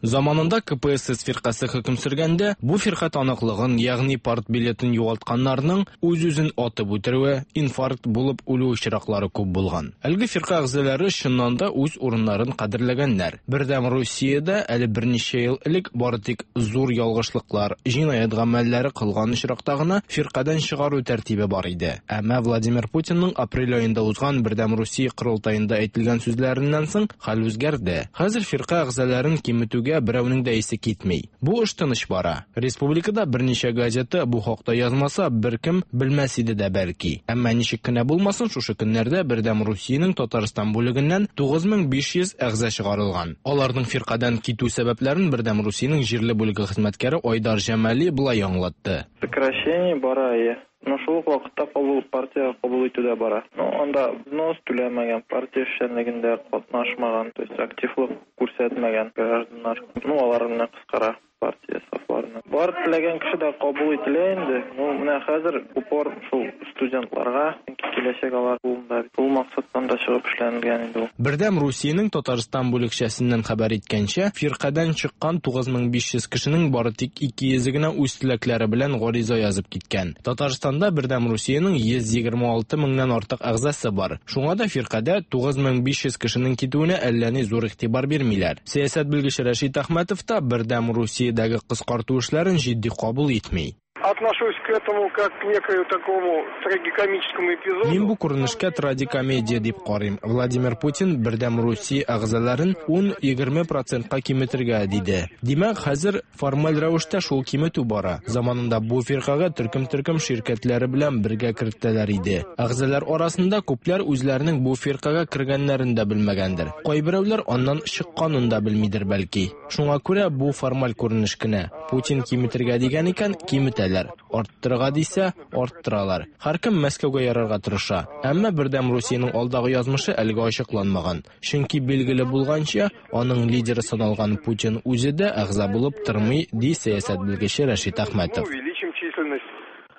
Заманында КПСС фиркасе хөкем сөргәндә, бу фирка таныклыгын, ягъни партбилетын югалтканнарның үз-үзен атып үтерүе, инфаркт булып үлү очраклары күп булган. Әлеге фирка әгъзалары чыннан да үз урыннарын кадерләгәннәр. Бердәм Русиядә әле берничә ел элек бары тик зур ялгышлыклар, җинаять гамәлләре кылган очракта гына фиркадән чыгару тәртибе бар иде. Әмма Владимир Путинның апрель аенда узган Бердәм Русия корылтаенда әйтелгән сүзләреннән соң Хәл үзгәрде. Хәзер фирка әгъзаларын киметүгә берәүнең дә исе китми. Бу эш тыныч бара. Республикада берничә газета бу хакта язмаса, беркем белмәс иде дә бәлки. Әмма ничек кенә булмасын, шушы көннәрдә Бердәм Русиянең Татарстан бүлегеннән 9500 әгъза чыгарылган. Аларның фиркадән китү сәбәпләрен Бердәм Русиянең җирле бүлеге хезмәткәре Айдар Җамали болай аңлатты. Сокращение бара, әйе. Но шул ук вакытта кабул партиягә кабул итү дә бара. Ну, анда взнос түләмәгән, партия эшчәнлегендә катнашмаган, то есть активлык күрсәтмәгән гражданнар, ну, алар менә кыскара партия сафларына. Бар теләгән кеше дә кабул ителә инде. Ну, менә хәзер упор шул студентларга, чөнки киләчәк алар кулында. Шул максаттан да чыгып эшләнелгән инде ул. Бердәм Русиянең Татарстан бүлекчәсеннән хәбәр иткәнчә, фиркадән чыккан 9500 кешенең бары тик 200-е генә үз теләкләре белән гариза язып киткән. Татарстанда Бердәм Русиянең 126 меңнән артык әгъзасы бар. Шуңа да фиркадә 9500 кешенең китүенә әллә ни зур игътибар бирмиләр. Сәясәт белгече Рәшит Әхмәтов та Бердәм Русиядәге кыскарту эшләрен җитди кабул итми. Отношусь к этому как к некою такому трагикомическому эпизоду. Мин бу күренешкә традикомедия дип карыйм. Владимир Путин Бердәм Русия әгъзаларын 10-20 процентка киметергә диде. Димәк, хәзер формаль рәвештә шул киметү бара. Заманында бу фиркагә төркем-төркем ширкәтләре белән бергә кертәләр иде. Әгъзалар арасында күпләр үзләренең бу фиркагә кергәннәрен дә белмәгәндер. Кайберәүләр аннан чыкканын да белмидер бәлки. Шуңа күрә бу формаль күренеш кенә. Путин киметергә дигән икән, киметәләр. Арттырырга дисә, арттыралар. Һәркем Мәскәүгә ярарга тырыша. Әмма Бердәм Русиянең алдагы язмышы әлегә ачыкланмаган. Чөнки билгеле булганча, аның лидеры саналган Путин үзе дә әгъза булып тормый, ди сәясәт белгече Рәшит Әхмәтов. Увеличим численность.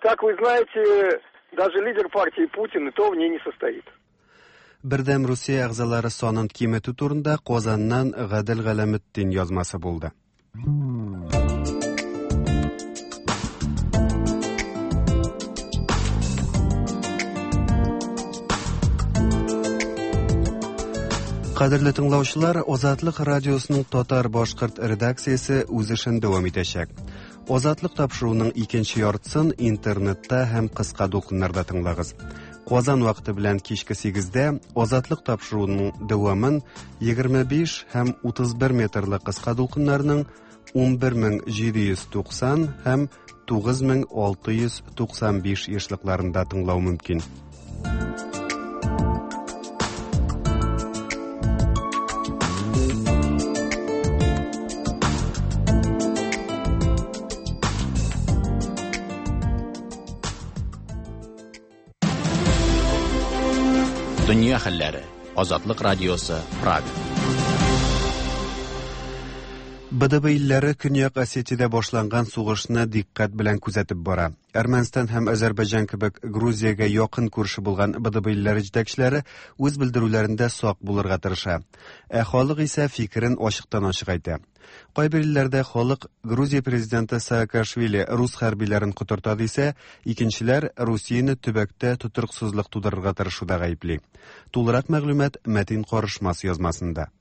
Как вы знаете, даже лидер партии Путин и то в ней не состоит. Бердәм Русия әгъзалары санын киметү турында Казаннан Гадел Галәметдин язмасы булды. Кадерле тыңлаучылар, Азатлык радиосының татар-башкорт редакциясе үз эшен дәвам итәчәк. Азатлык тапшыруының икенче яртысын интернетта һәм кыска дулкыннарда тыңлагыз. Казан вакыты белән кичке 8-дә Азатлык тапшыруының дәвамын 25 һәм 31 метрлы кыска дулкыннарның 11790 һәм 9695 ешлыкларында тыңлау мөмкин. Дөнья хәлләре. Азатлык радиосы, Прага. БДБ илләре Көньяк Осетиядә башланган сугышны дикъкать белән күзәтеп бара. Әрмәнстан һәм Азәрбайҗан кебек Грузиягә якын күрше булган БДБ илләре җитәкчеләре үз белдерүләрендә сак булырга тырыша. Ә халык исә фикерен ачыктан-ачык әйтә. Кайбер илләрдә халык Грузия президенты Саакашвили рус хәрбиләрен котырта дисә, икенчеләр Русияне төбәктә тотрыксызлык тудырырга тырышуда гаепли. Тулырак мәгълүмат Мәтин Карышмас язмасында.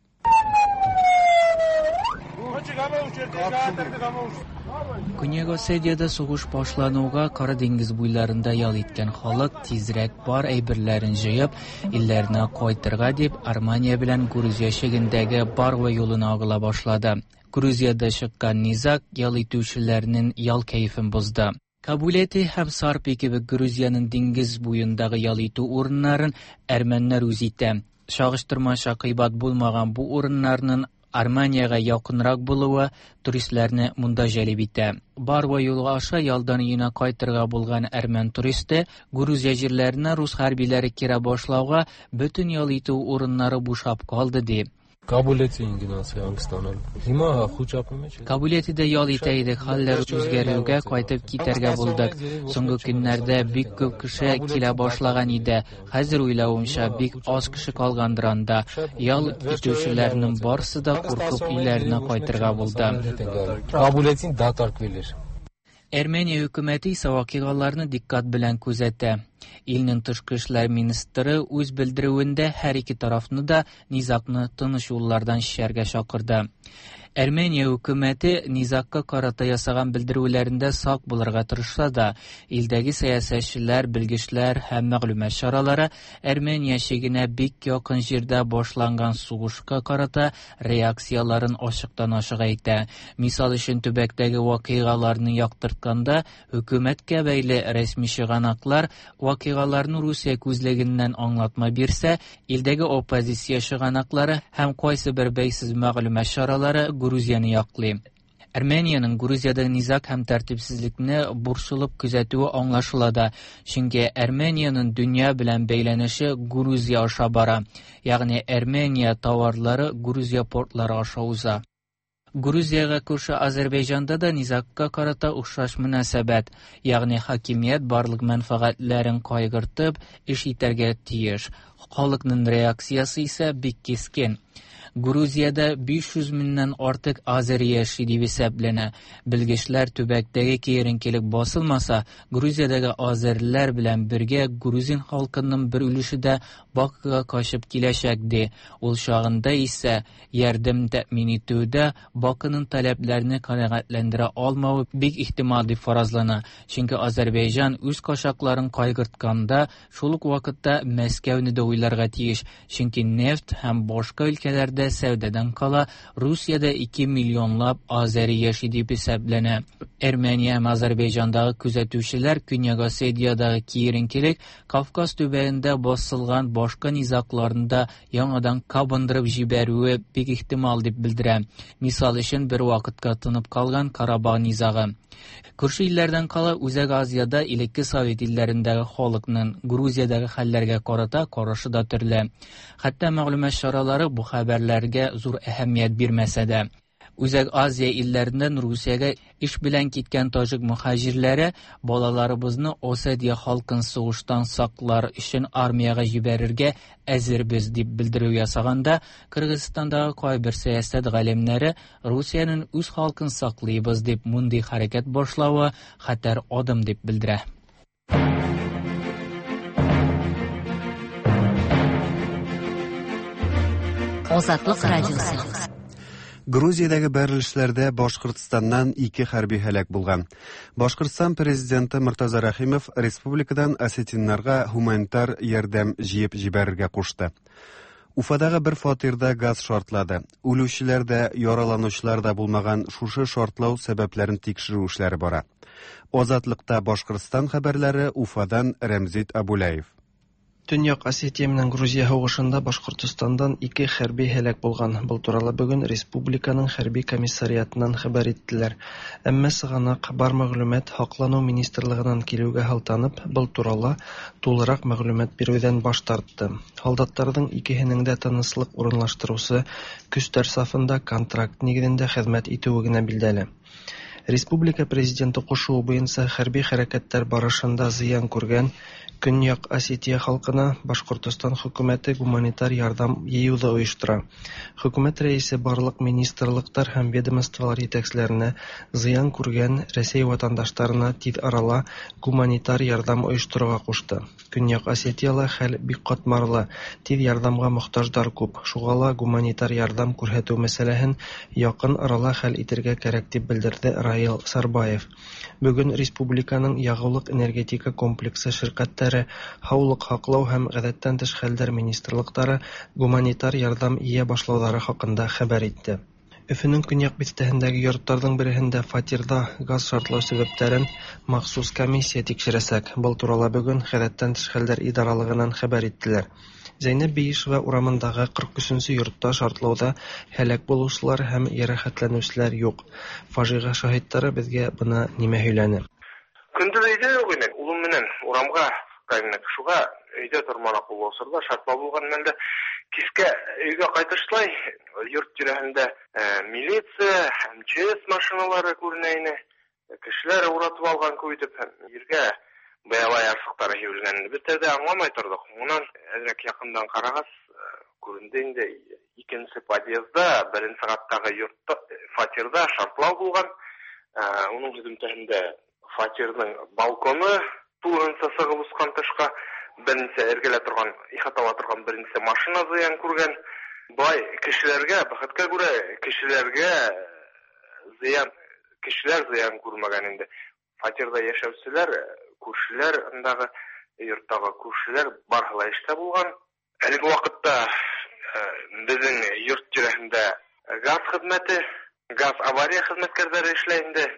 Көньяк Осетиядә сугыш башлануга Кара диңгез буйларында ял иткән халык тизрәк бар әйберләрен җыеп, илләренә кайтырга дип Армения белән Грузия чигендәге Барва юлына агыла башлады. Грузиядә чыккан низаг ял итүчеләрнең ял кәефен бозды. Кабулети һәм Сарпи кебек Грузиянең диңгез буендагы ял итү урыннарын әрмәннәр үз итә. Чагыштырмача кыйбат булмаган бу урыннарның Армениягә якынрак булуы туристларны монда җәлеп итә. Барва юлы аша ялдан өенә кайтырга булган әрмән туристы Грузия җирләренә рус хәрбиләре керә башлауга бөтен ял итү урыннары бушап калды ди. Кабулетида ял итә идек, хәлләр үзгәрүгә кайтып китәргә булдык. Соңгы көннәрдә бик күп кеше килә башлаган иде. Хәзер уйлавымча, бик аз кеше калгандыр анда. Ял итүчеләрнең барысы да куркып өйләренә кайтырга булды. Әрмәния хөкүмәте исә вакыйгаларны дикъкать белән күзәтә. Илнең тышкы эшләр министры үз белдерүендә һәр ике тарафны да низагны тыныч юллардан чишәргә чакырды. Әрмәния хөкүмәте низагка карата ясаган белдерүләрендә сак булырга тырышса да, илдәге сәясәтчеләр, белгечләр һәм мәгълүмат чаралары Әрмәния чигенә бик якын җирдә башланган сугышка карата реакцияләрен ачыктан-ачык әйтә. Мисал өчен, төбәктәге вакыйгаларны яктыртканда, хөкүмәткә бәйле рәсми чыганаклар вакыйгаларны Русия күзлегеннән аңлатма бирсә, илдәге оппозиция чыганаклары һәм кайсыбер бәйсез мәгълүмат чаралары Грузияне яклый. Армениянең Грузиядәге низаг һәм тәртипсезлекне борчылып күзәтүе аңлашыла да, чөнки Армениянең дөнья белән бәйләнеше Грузия аша бара, ягъни Армения товарлары Грузия портлары аша уза. Грузиягә күрше Азәрбайҗанда да низагка карата охшаш мөнәсәбәт, ягъни хакимият барлык мәнфәгатьләрен кайгыртып эш итәргә тиеш. Халыкның реакциясе исә бик кискен. Грузиядә 500 меңнән артык азери яши дип исәпләнә. Белгечләр төбәктәге киеренкелек басылмаса, Грузиядәге азериләр белән бергә грузин халкының бер өлеше дә Бакуга качып киләчәк ди. Ул чагында исә ярдәм тәэмин итүдә Бакуның таләпләрне канәгатьләндерә алмавы бик ихтимал дип фаразлана. Чөнки Азәрбайҗан үз качакларын кайгыртканда, шул ук вакытта Мәскәүне дә уйларга тиеш, чөнки нефть һәм башка өлкәләрдә сәүдәдән кала Русиядә 2 миллионлап азәри яши дип исәпләнә. Әрмәния һәм Азәрбайҗандагы күзәтүчеләр Көньяк Осетиядәге киеренкелек Кавказ төбәгендә басылган башка низагларны да яңадан кабындырып җибәрүе бик ихтимал дип белдерә. Мисал өчен, бер вакытка тынып калган Карабах низагы. Күрше илләрдән кала Үзәк Азиядә элекке совет илләрендәге халыкның Грузиядәге хәлләргә карата карашы да төрле. Хәтта мәгълүмат чаралары бу хәбәрләргә зур әһәмият бирмәсә дә. Үзәк Азия илләреннән Русиягә эш белән киткән таҗик мөһаҗирләре балаларыбызны Осетия халкын сугыштан саклар өчен армиягә җибәрергә әзербез дип белдерү ясаганда, Кыргызстандагы кайбер сәясәт галимнәре Русиянең үз халкын саклыйбыз дип мондый хәрәкәт башлавы хәтәр адым дип белдерә. Азатлык радиосы. Грузиядәге бәрелешләрдә Башкортстаннан ике хәрби һәлак булган. Башкортстан президенты Мортаза Рәхимов республикадан осетиннарга һуманитар ярдәм җыеп җибәрергә кушты. Уфадагы бер фатирда газ шартлады. Үлүчеләр дә, яраланучылар да булмаган шушы шартлау сәбәпләрен тикшерү эшләре бара. Азатлыкта Башкортстан хәбәрләре Уфадан Рәмзит Абуляев. Төньяк Осетия менән Грузия һугышында Башкортостандан ике хәрби һәлак булган. Был турала бөгөн республиканың хәрби комиссариатынан хәбәр иттеләр. Әмма сығанаҡ бар мәғлүмәт Һаҡланыу министрлығынан килеүгә һылтанып, был турала тулыраҡ мәғлүмәт биреүҙән баш тартты. Һалдаттарҙың икеһенең дә тыныслыҡ урынлаштырыусы көстәр сафында контракт нигеҙендә хеҙмәт итеүе генә билдәле. Республика президенты ҡушыуы буйынса хәрби хәрәкәттәр барышында зыян күргән Көньяҡ Осетия халҡына Башҡортостан хөкүмәте гуманитар ярҙам йыйыуҙы ойоштора. Хөкүмәт рәйесе барлыҡ министрлыҡтар һәм ведомстволар етәкселәренә зыян күргән Рәсәй ватандаштарына тиҙ арала гуманитар ярҙам ойошторорға ҡушты. Көньяҡ Осетияла хәл бик ҡатмарлы, тиҙ ярҙамға мохтаждар күп. Шуға ла гуманитар ярҙам күрһәтеү мәсьәләһен яҡын арала хәл итергә кәрәк, тип белдерҙе Раил Сарбаев. Бөгөн республиканың яғыулыҡ-энергетика комплексы ширҡәттәре, һаулыҡ һаҡлау һәм ғәҙәттән тыш хәлдәр министрлыҡтары гуманитар ярҙам йыя башлауҙары хаҡында хәбәр итте. Өфөнөң көньяҡ биҫтәһендәге йорттарҙың береһендә фатирҙа газ шартлау сәбәптәрен махсус комиссия тикшерәсәк. Был турала бөгөн ғәҙәттән тыш хәлдәр идаралығынан хәбәр иттеләр. Зәйнәб Бейишева урамындағы 43-нсе йортта шартлауҙа һәләк булыусылар һәм йәрәхәтләнеүселәр юҡ. Фажиғә шаһиттары беҙгә бына нимә һөйләне. Көндөҙ өйҙә юҡ инек, улым менән урамға сыҡҡайныҡ. Шуға өйҙә торманыҡ ул осорҙа, шартлау булған мәлдә. Кискә өйгә ҡайтышлай йорт тирәһендә милиция, МЧС машиналары күренә ине. Кешеләр уратып алған күп итеп ергә быяла ярсыҡтары һибелгән. Беҙ тәүҙә аңламай торҙоҡ. Унан әҙерәк яҡындан ҡарағас күренде инде икенсе подъезда, беренсе ҡаттағы йортта, фатирҙа шартлау булған. Уның һөҙөмтәһендә фатирҙың балконы тулыһынса сығып осҡан тышҡа, беренсе эргәлә торған, ихатала торған беренсе машина зыян күргән. Былай кешеләргә, бәхеткә күрә, кешеләргә зыян, кешеләр зыян күрмәгән инде. Фатирҙа йәшәүселәр, күршеләр, ындағы йорттағы күршеләр барыһы ла эштә булған. Әлеге ваҡытта беҙҙең йорт тирәһендә газ хеҙмәте, газ авария хеҙмәткәрҙәре эшләй инде.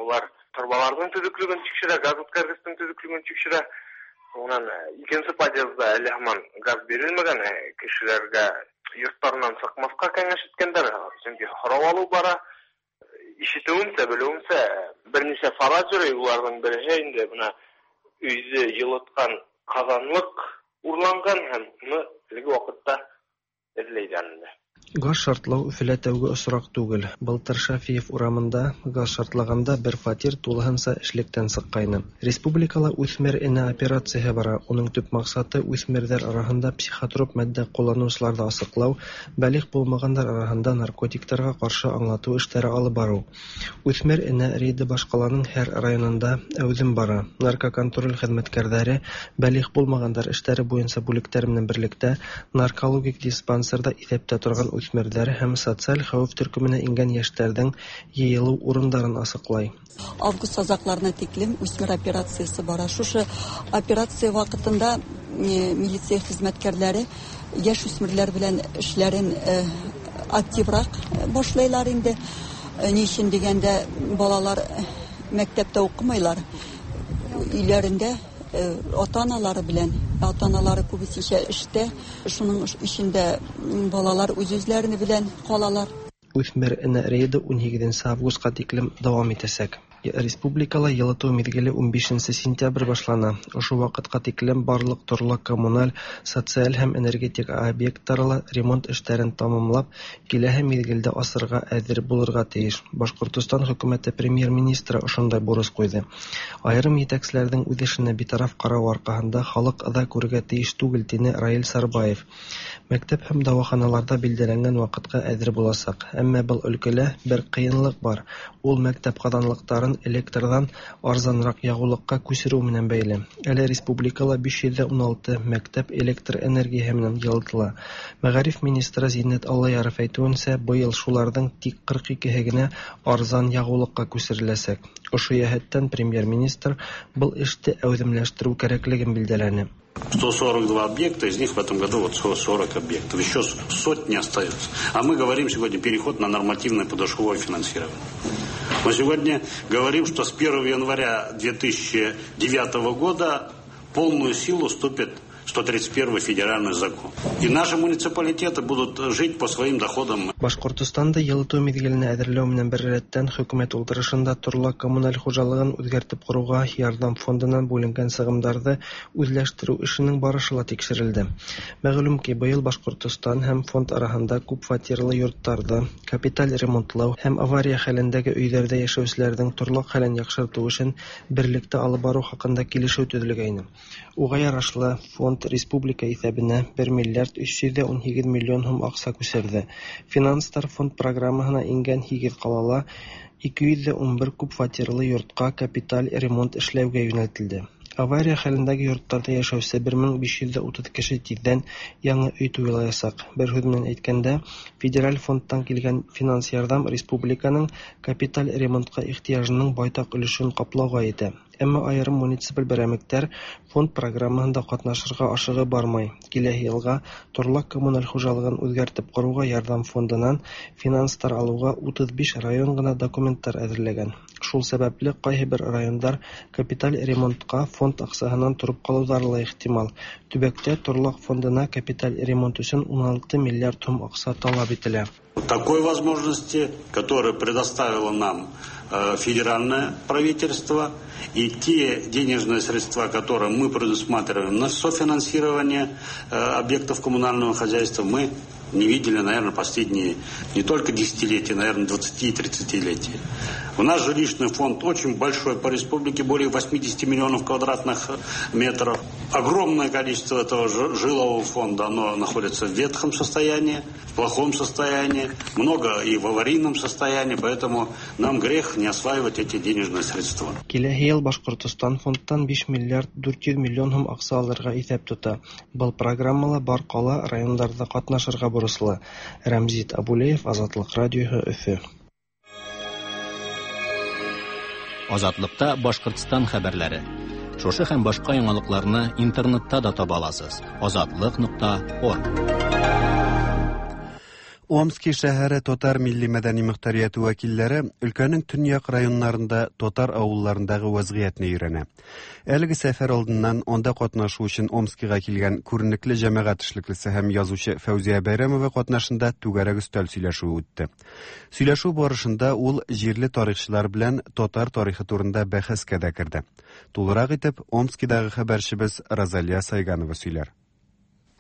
Улар торбаларҙың төҙөклөгөн тикшерә, газ үткәргестең төҙөклөгөн тикшерә. Унан икенсе подъезда әле һаман газ бирелмәгән, кешеләргә йорттарынан сыҡмаҫҡа кәңәш иткәндәр, сөнки һорау алыу бара. Ишетеүемсә, белеүемсә, бер нисә фараз йөрөй, уларҙың береһе инде бына өйҙө йылытҡан ҡаҙанлыҡ урланған һәм уны әлеге ваҡытта эҙләйҙәр инде. Газ шартлау Өфөлә тәүге осраҡ түгел. Былтыр Шафиев урамында газ шартлағанда бер фатир тулыһынса эшлектән сыҡҡайны. Республикала үҫмер энә операцияһы бара. Уның төп маҡсаты үҫмерҙәр араһында психотроп матдә ҡулланыусыларҙы асыҡлау, бәлиғ булмағандар араһында наркотиктарға ҡаршы аңлатыу эштәре алып барыу. Үҫмер энә рейды баш ҡаланың һәр районында әүҙем бара. Наркоконтроль хеҙмәткәрҙәре бәлиғ булмағандар эштәре буйынса бүлектәр менән берлектә наркологик диспансерҙа иҫәптә торған үҫмерҙәр һәм социаль хәүеф төркөмөнә ингән йәштәрҙең йыйылыу урындарын асыҡлай. Август аҙаҡларына тиклем үҫмер операцияһы бара. Шушы операция ваҡытында милиция хеҙмәткәрҙәре йәш үҫмерләр белән эшләрен активыраҡ башлайлар инде. Ни өсөн тигәндә, балалар мәктәптә уҡымайлар, өйләрендә ата-аналары белән, ата-аналары күбесенсә эштә, шуның эчендә балалар үҙ-үҙләрен белән ҡалалар. Үҫмер энә рейды 18 августҡа тиклем дауам итәсәк. Республикала йылытыу миҙгеле 15 сентябрь башлана. Ошо ваҡытҡа тиклем барлыҡ торлаҡ коммуналь, социаль һәм энергетик объекттарла ремонт эштәрен тамамлап, киләһе миҙгелдә асырға әҙер булырға тейеш. Башҡортостан хөкүмәте премьер-министры ошондай бурыс ҡуйҙы. Айырым етәкселәрҙең үҙ эшенә битараф ҡарау арҡаһында халыҡ ыҙа күрергә тейеш түгел, тине Раил Сарбаев. Мәктәп һәм дауаханаларҙа билдәләнгән ваҡытҡа әҙер буласаҡ. Әммә был өлкәлә бер ҡыйынлыҡ бар. Ул мәктәп ҡаҙанлыҡтарын электрҙан арзаныраҡ яғыулыҡҡа күсереү менән бәйле. Әле республикала 516 мәктәп электр энергияһы менән йылытыла. Мәғариф министры Зиннәт Аллаяров әйтеүенсә, быйыл шуларҙың тик 42-һе генә арзан яғыулыҡҡа күсереләсәк. Ошо йәһәттән премьер-министр был эште әүҙемләштереү кәрәклеген билдәләне. 142 объекта, из них в этом году вот 40 объектов. Еще сотни остаются. А мы говорим сегодня переход на нормативное подушевое финансирование. Мы сегодня говорим, что с 1 января 2009 года полную силу вступит 131 федеральный закон. И наши муниципалитеты будут жить по своим доходам. Башкортостанда җылыту мизгеленә әзерләү белән беррәттән хөкүмәт утырышында торлак-коммуналь хуҗалыгын үзгәртеп коруга ярдәм фондыннан бүленгән чыгымнарны үзләштерү эшенең барышы ла тикшерелде. Мәгълүм ки, быел Башкортостан һәм фонд араһында күп фатирлы йортларда капиталь ремонтлау һәм авария хәлендәге өйләрдә яшәүчеләрнең торлак хәлен яхшырту эшен берлектә алып бару хакында килешү төзелгәйне. Уга ярашлы, фонд республика исәбенә 1 миллиард 318 миллион һум акча күчерде. Финанслар фонд программаһына ингән 8 калала 211 күп фатирлы йортка капиталь ремонт эшләүгә юнәлтелде. Авария хәлендәге йортларда яшәүче 1530 кеше тиздән яңа өй туйлаячак. Бер сүз белән әйткәндә, федераль фондтан килгән финанс ярдәм республиканың капиталь ремонтка ихтыяҗының байтак өлешен каплауга җитә. Әмма аерым муниципаль берәмлекләр фонд программаһында катнашырга ашыгып бармай. Киләһе елга торлак-коммуналь хуҗалыгын үзгәртеп коруга ярдәм фондыннан финанслар алуга 35 район гына документлар әзерләгән. Шул сәбәпле кайбер районнар капиталь ремонтка фонд акчасыннан торып калулары ла ихтимал. Төбәктә торлак фондына капиталь ремонт өчен 16 миллиард сум акча таләп ителә. Такой возможности, которую предоставило нам федеральное правительство, и те денежные средства, которые мы предусматриваем на софинансирование объектов коммунального хозяйства, мы не видели, наверное, последние не только десятилетия, наверное, 20 и 30-летия. У нас жилищный фонд очень большой по республике, более 80 миллионов квадратных метров. Огромное количество этого жилого фонда, оно находится в ветхом состоянии, в плохом состоянии, много и в аварийном состоянии, поэтому нам грех не осваивать эти денежные средства. Киләһе ел Башкортостан фондтан 5 миллиард 400 миллион һум акча алырга исәп тота. Был программала бар кала районнарда катнашырга бурычлы. Рәмзит Абулеев, Азатлык радиоһы, Өфе. Азатлыкта Башкортстан хәбәрләре. Шушы һәм башка яңалыкларны интернетта да таба аласыз. Азатлык.орг. Омски шәһәре татар милли мәдәни мөхтәрияте вәкилләре өлкәнең төньяк районнарында татар авылларындагы вазгыятьне өйрәнә. Әлеге сәфәр алдыннан анда катнашу өчен Омскига килгән күренекле җәмәгать эшлеклесе һәм язучы Фәүзия Бәйрәмова катнашында түгәрәк өстәл сөйләшүе үтте. Сөйләшү барышында ул җирле тарихчылар белән татар тарихы турында бәхәскә дә керде. Тулырак итеп Омскидагы хәбәрчебез Розалия Сайганова сөйләр.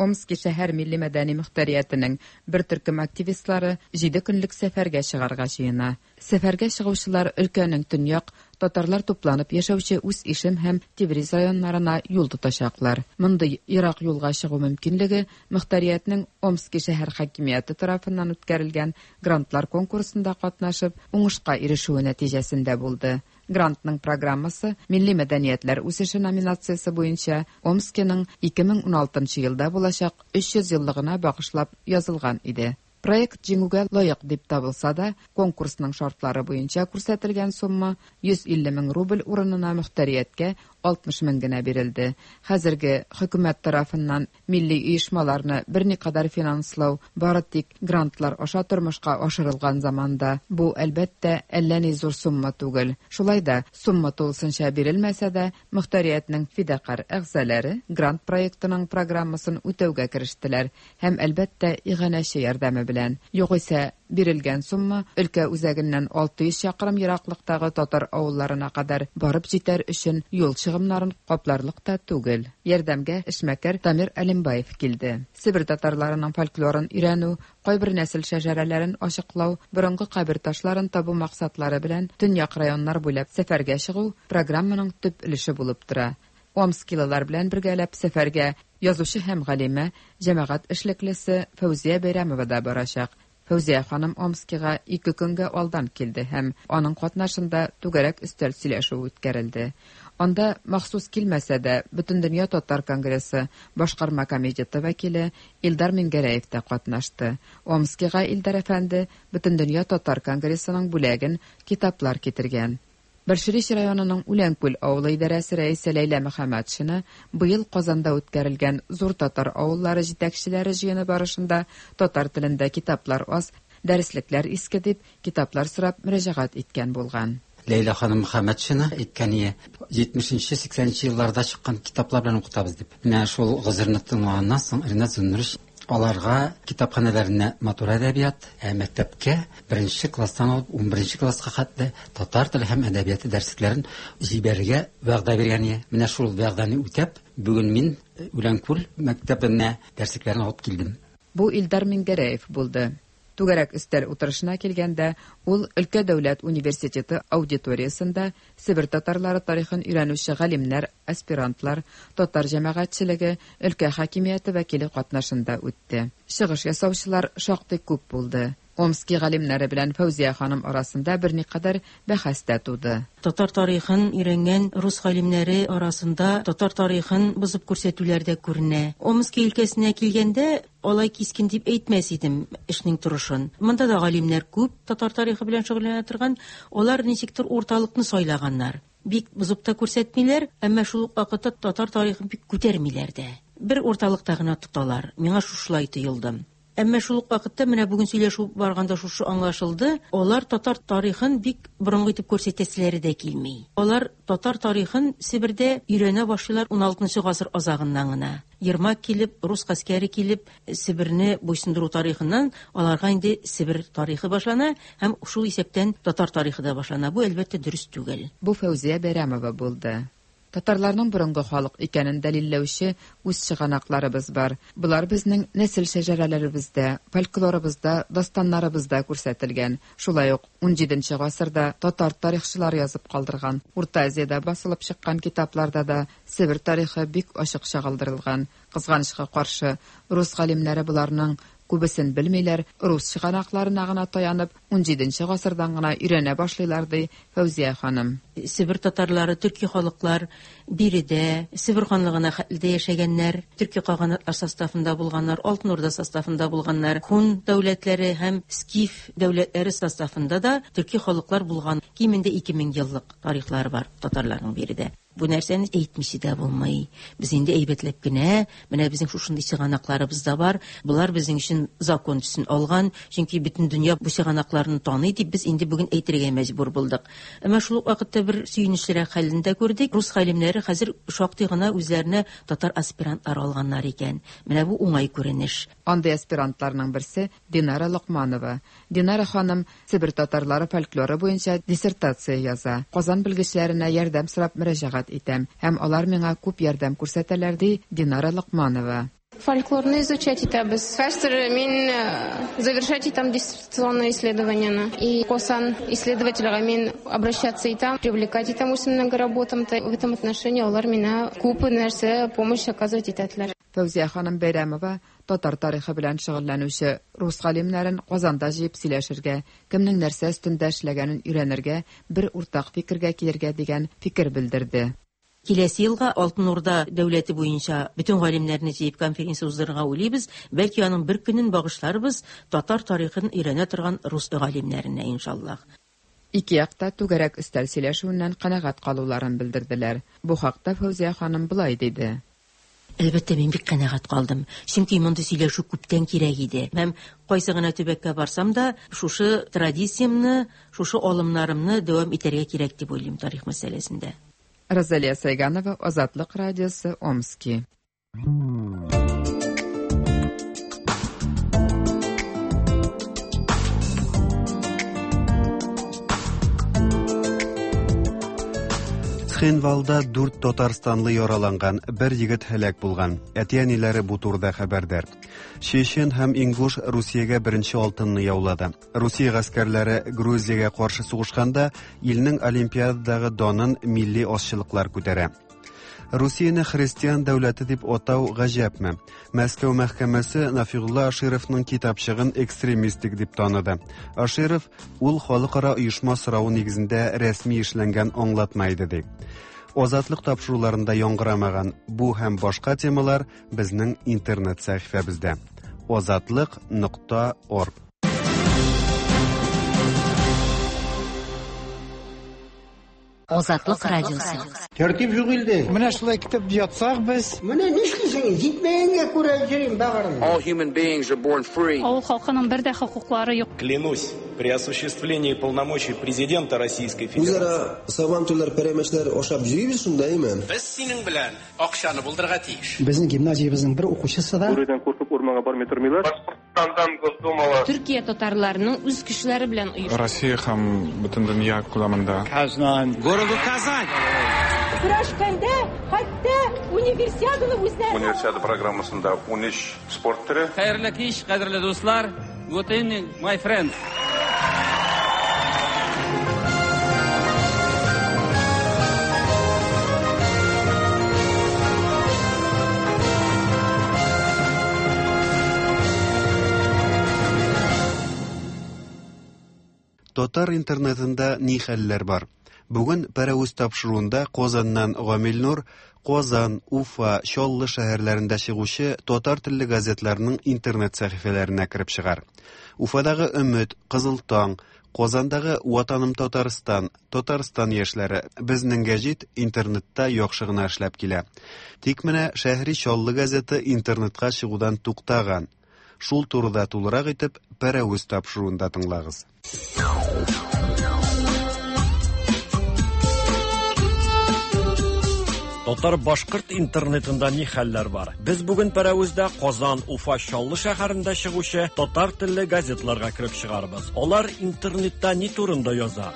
Омски шәһәр милли мәдәни мөхтәриятенең бер төркем активистлары 7 көнлек сәфәргә чыгарга җыена. Сәфәргә чыгучылар өлкәнең төньяк татарлар тупланып яшәүче Үз Ишем һәм Тевриз районнарына юл тотачаклар. Мондый ерак юлга чыгу мөмкинлеге мөхтәриятнең Омски шәһәр хакимияте тарафыннан үткәрелгән грантлар конкурсында катнашып, уңышка ирешүе нәтиҗәсендә булды. Грантның программасы Милли мәдәниятләр үсеше номинациясе буенча Омскиның 2016 елда булачак 300 еллыгына багышлап язылган иде. Проект җиңүгә лаек дип табылса да, конкурсның шартлары буенча күрсәтелгән сумма 150 мең рубль урынына мөхтәрияткә 60 мең генә бирелде. Хәзерге хөкүмәт тарафыннан милли оешмаларны берникадәр финанслау бары тик грантлар аша тормышка ашырылган заманда бу, әлбәттә, әллә ни зур сумма түгел. Шулай да сумма тулысынча бирелмәсә дә, мөхтәриятнең фидакарь әгъзалары грант проектының программасын үтәүгә керештеләр һәм, әлбәттә, иганәче ярдәме белән. Югыйсә, бирелгән сумма өлкә үзәгеннән 600 чакрым ераклыктагы татар авылларына кадәр барып җитәр өчен юл чыгымнарын капларлык та түгел. Ярдәмгә эшмәкәр Дамир Әлимбаев килде. Себер татарларының фольклорын өйрәнү, кайбер нәсел шәҗәрәләрен ачыклау, борынгы кабер ташларын табу максатлары белән төньяк районнар буйлап сәфәргә чыгу программаның төп өлеше булып тора. Омскилылар белән бергәләп сәфәргә язучы һәм галимә, җәмәгать эшлеклесе Фәүзия Бәйрәмова да барачак. Фәүзия ханым Омскига 2 көнгә алдан килде һәм аның катнашында түгәрәк өстәл сөйләшүе үткәрелде. Анда махсус килмәсә дә Бөтендөнья татар конгрессы башкарма комитеты вәкиле Илдар Мингәрәев тә катнашты. Омскига Илдар әфәнде Бөтендөнья татар конгрессының бүләген китаплар китергән. Бәлширич районының Үләнкүл авылы идарәсе рәисе Ләйлә Мөхәммәтшина быел Казанда үткәрелгән зур татар авыллары җитәкчеләре җыены барышында татар телендә китаплар аз, дәреслекләр иске дип, китаплар сорап мөрәҗәгать иткән булган. Ләйлә ханым Мөхәммәтшина әйткән ие, 70-80 елларда чыккан китаплар белән укытабыз дип. Менә шул гозерне тыңлаганнан соң Ринат Зиннурович аларга китапханәләренә матур әдәбият, ә мәктәпкә беренче класстан алып 11 класска хәтле татар теле һәм әдәбияты дәреслекләрен җибәрергә вәгъдә биргән ие. Менә шул вәгъдәне үтәп, бүген мин Үләнкүл мәктәбенә дәреслекләрне алып килдем. Бу Илдар Миңгәрәев булды. Түгәрәк өстәл утырышына килгәндә, ул өлкә дәүләт университеты аудиториясендә Себер татарлары тарихын өйрәнүче галимнәр, аспирантлар, татар җәмәгатьчелеге, өлкә хакимияте вәкиле катнашында үтте. Чыгыш ясаучылар шактый күп булды. Омски галимнәре белән Фәүзия ханым арасында берникадәр бәхәс тә туды. Татар тарихын өйрәнгән рус галимнәре арасында татар тарихын бозып күрсәтүләр дә күренә. Омски өлкәсенә килгәндә, алай кискен дип әйтмәс идем эшнең торышын. Монда да галимнәр күп, татар тарихы белән шөгыльләнә торган. Алар ничектер урталыкны сайлаганнар. Бик бозып та күрсәтмиләр, әмма шул ук вакытта татар тарихын бик күтәрмиләр дә. Бер урталыкта гына тоталар. Миңа шушылай тоелды. Әмма шул ук вакытта менә бүген сөйләшү барганда шушы аңлашылды, алар татар тарихын бик борынгы итеп күрсәтәселәре дә килми. Алар татар тарихын Себердә өйрәнә башлыйлар уналтынчы гасыр азагыннан гына. Ермак килеп, рус гаскәре килеп, Себерне буйсындыру тарихыннан аларга инде Себер тарихы башлана һәм шул исәптән татар тарихы да башлана. Бу, әлбәттә, дөрес түгел. Бу Фәүзия Бәйрәмова булды. Татарларның борынгы халык икәнен дәлилләүче үз чыганакларыбыз бар. Болар безнең нәсел шәҗәрәләребездә, фольклорыбызда, дастаннарыбызда күрсәтелгән. Шулай ук унҗиденче гасырда татар тарихчылары язып калдырган, Урта Азиядә басылып чыккан китапларда да Себер тарихы бик ачык чагылдырылган. Кызганычка каршы, рус галимнәре боларның күбесен белмиләр, рус чыганакларына гына таянып, унҗиденче гасырдан гына өйрәнә башлыйлар, ди Фәүзия ханым. Себер татарлары, төрки халыклар биредә, Себер ханлыгына хәтле дә яшәгәннәр, төрки каганатлар составында булганнар, Алтын Урда составында булганнар, һун дәүләтләре һәм скиф дәүләтләре составында да төрки халыклар булган. Кимендә 2000 еллык тарихлары бар татарларның биредә. Бу нәрсәне әйтмичә дә булмый. Без инде әйбәтләп кенә, менә безнең шушындый чыганакларыбыз да бар, болар безнең өчен закон төсен алган, чөнки бөтен дөнья бу чыганакларны таный дип без инде бүген әйтергә мәҗбүр булдык. Әмма шул ук вакытта бер сөенечлерәк хәлне дә күрдек. Рус галимнәре хәзер шактый гына үзләренә татар аспирантлары алганнар икән. Менә бу уңай күренеш. Андый аспирантларның берсе, Динара Локманова. Динара ханым Себер татарлары фольклоры буенча диссертация яза. Казан белгечләренә ярдәм сорап мөрәҗәгать итәм һәм алар миңа күп ярдәм күрсәтәләр, ди Динара Локманова. Фольклорны изучать итәбез. Хәзер мин завершать итәм диссертационное исследованиене. И Казан исследовательгә мин обращаться итәм, привлекать итәм үземнең работам. В этом отношении алар миңа күп нәрсә помощь оказывать итәделәр. Фәүзия ханым Бәйрәмова татар тарихы белән шөгыльләнүче рус галимнәрен Казанда җыеп сөйләшергә, кемнең нәрсә өстендә эшләгәнен өйрәнергә, бер уртак фикергә килергә дигән фикер белдерде. Киләсе елга Алтын Урда дәүләте буенча бөтен галимнәрне җыеп конференция уздырырга уйлыйбыз. Бәлки аның бер көнен багышларбыз татар тарихын өйрәнә торган рус галимнәренә, иншаллаһ. Ике як та түгәрәк өстәл сөйләшүеннән канәгать калуларын белдерделәр. Бу хакта Фәүзия ханым болай диде. Әлбәттә, мин бик канәгать калдым. Чөнки мондый сөйләшү күптән кирәк иде. Һәм кайсы гына төбәккә барсам да, шушы традициямне, шушы алымнарымны дәвам итәргә кирәк дип уйлыйм тарих мәсьәләсендә. Розалия Сайганова, Азатлык радиосы, Омски. Цхинвалда дүрт татарстанлы яраланган, бер егет һәлак булган. Әти-әниләре бу турыда хәбәрдар. Чечен һәм Ингуш Русиягә беренче алтынны яулады. Русия гаскәрләре Грузиягә каршы сугышканда илнең Олимпиададагы данын милли азчылыклар күтәрә. Русияне христиан дәүләте дип атау гаҗәпме? Мәскәү мәхкәмәсе Нафигулла Ашировның китапчыгын экстремистик дип таныды. Аширов ул халыкара оешма соравы нигезендә рәсми эшләнгән аңлатма иде ди. Азатлык тапшыруларында яңгырамаган бу һәм башка темалар безнең интернет сәхифәбездә. Азатлык нокта орг. Азатлык радиосы. Тәртип юк илдә. Менә шулай китеп ятсак без. Менә нишлисең, җитмәгәнгә күрә йөрим бәгырем. All human beings are born free. Авыл халкының бер дә хокуклары юк. Клянусь, при осуществлении полномочий президента Российской Федерации. Үзара сабантуйлар, пәрәмәчләр ашап йөрибез шунда, әйме? Без синең белән акчаны булдырырга тиеш. Безнең гимназиябезнең бер укучысы да. Бүредән куркып урманга бармый тормыйлар. Башкортстандан Госдумала. Төркия татарларының үз көчләре белән оеш. Россия һәм бөтен дөнья күләмендә. Казан. Городу Казань. Көрәшкәндә хәтта универсиаданы үзләре. Универсиада программасында 13 спорт төре. Хәерле кич, кадерле дуслар. Good evening, my friends. Татар интернетында ни хәлләр бар? Бүген Пәрәвез тапшыруында Казаннан Гамил Нур Казан, Уфа, Чаллы шәһәрләрендә чыгучы татар телле газетларның интернет сәхифәләренә кереп чыгар. Уфадагы Өмет, Кызыл таң, Казандагы Ватаным Татарстан, Татарстан яшьләре, Безнең гәҗит интернетта яхшы гына эшләп килә. Тик менә Шәһри Чаллы газеты интернетка чыгудан туктаган. Шул турыда тулырак итеп Пәрәвез тапшыруында тыңлагыз. Татар-башкорт интернетында ни хәлләр бар? Без бүген Пәрәвездә Казан, Уфа, Чаллы шәһәрендә чыгучы татар телле газетларга кереп чыгарбыз. Алар интернетта ни турында яза?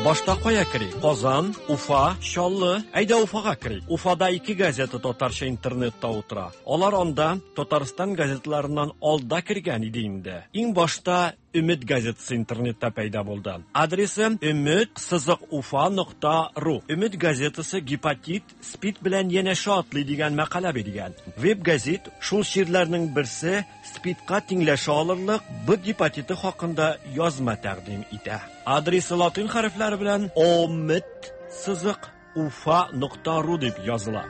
Башта кая керик? Казан, Уфа, Чаллы. Әйдә Уфага керик. Уфада ике газета татарча интернетта утыра. Алар анда Татарстан газетларыннан алда кергән иде инде. Иң башта Өмет газетасы интернетта пәйда булды. Адресы өмет сызык уфа нокта ру. Өмет газетасы гепатит, спид белән янәшә атлый дигән мәкалә биргән. Веб газет шул чирләрнең берсе спидка тиңләшә алырлык Б гепатиты хакында язма тәкъдим итә. Адресы латин хәрефләре белән омет сызык уфа нокта ру дип языла.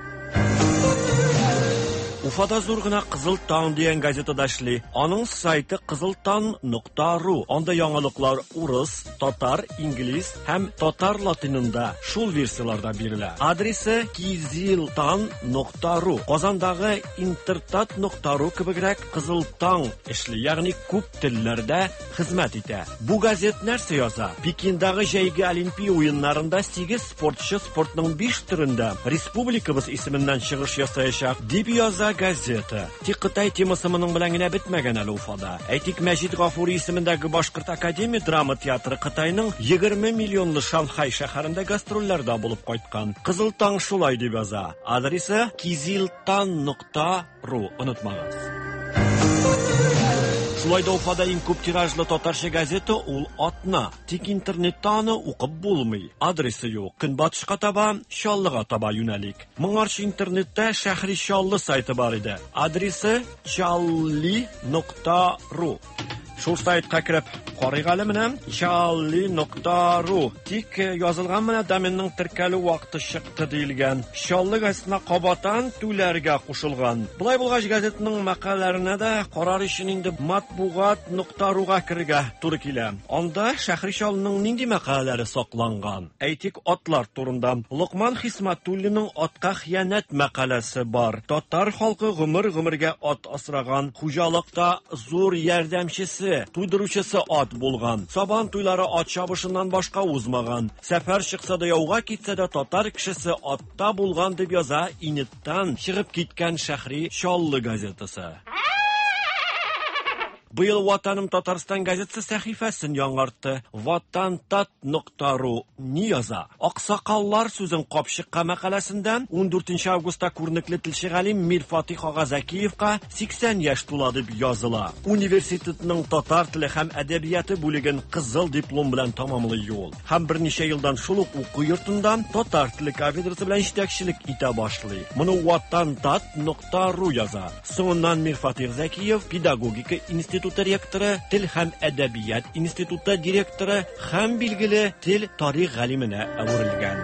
Уфада зур гына Кызыл таң дигән газетада эшли. Аның сайты кызылтан.ру. Анда яңалыклар урыс, татар, инглиз һәм татар латинында шул версияларда бирелә. Адресы кизилтан.ру. Казандагы интертат.ру кебегрәк Кызыл таң эшли, ягъни күп телләрдә хезмәт итә. Бу газет нәрсә яза? Пекиндагы җәйге Олимпия уеннарында 8 спортчы спортның 5 төрендә республикабыз исеменнән чыгыш ясаячак, дип яза газета. Тик Кытай темасы моның белән генә бетмәгән әле Уфада. Әйтик, Мәҗит Гафури исемендәге Башкорт академия драма театры Кытайның 20 миллионлы Шанхай шәһәрендә гастрольләрдә булып кайткан. Кызыл таң шулай дип яза. Адресы кизилтан.ру. Онытмагыз. Шулай да Уфада иң күп тиражлы татарча газета ул Атна. Тик интернетта аны укып булмый. Адресы юк. Көнбатышка таба, Чаллыга таба юнәлик. Моңарчы интернетта Шәһри Чаллы сайты бар иде. Адресы challi.ru. Шул сайтка кереп карыйк әле менә challi.ru. Тик язылган менә доменның теркәлү вакыты чыкты диелгән. Чаллы газетына кабатан түләргә кушылган. Болай булгач газетның мәкаләләренә дә карар өчен инде матбугат.руга керергә туры килә. Анда Шәһри Чаллының нинди мәкаләләре сакланган? Әйтик, атлар турында. Локман Хисматуллинның атка хыянәт мәкаләсе бар. Татар халкы гомер-гомергә ат асраган, хуҗалыкта зур ярдәмчесе, туйдыручысы ат булган. Сабан туйлары ат чабышыннан башка узмаган. Сәфәр чыкса да яуга китсә дә татар кешесе атта булган дип яза Инеттан чыгып киткән Шәһри Чаллы газетасы. Быел Ватаным Татарстан газетасы сәхифәсен яңартты. Ватантат.ру ни яза? Аксакаллар сүзен капчыкка мәкаләсендә 14 августта күренекле телче галим Мирфатих ага Зәкиевка 80 яшь тула дип языла. Университетның татар теле һәм әдәбияты бүлеген кызыл диплом белән тәмамлый ул. Һәм берничә елдан шул ук уку йортында татар теле кафедрасы белән җитәкчелек итә башлый. Моны ватантат.ру яза. Соңыннан Мирфатих Зәкиев педагогика институты ректоры, тел һәм әдәбият институты директоры һәм билгеле тел тарих галименә әверелгән.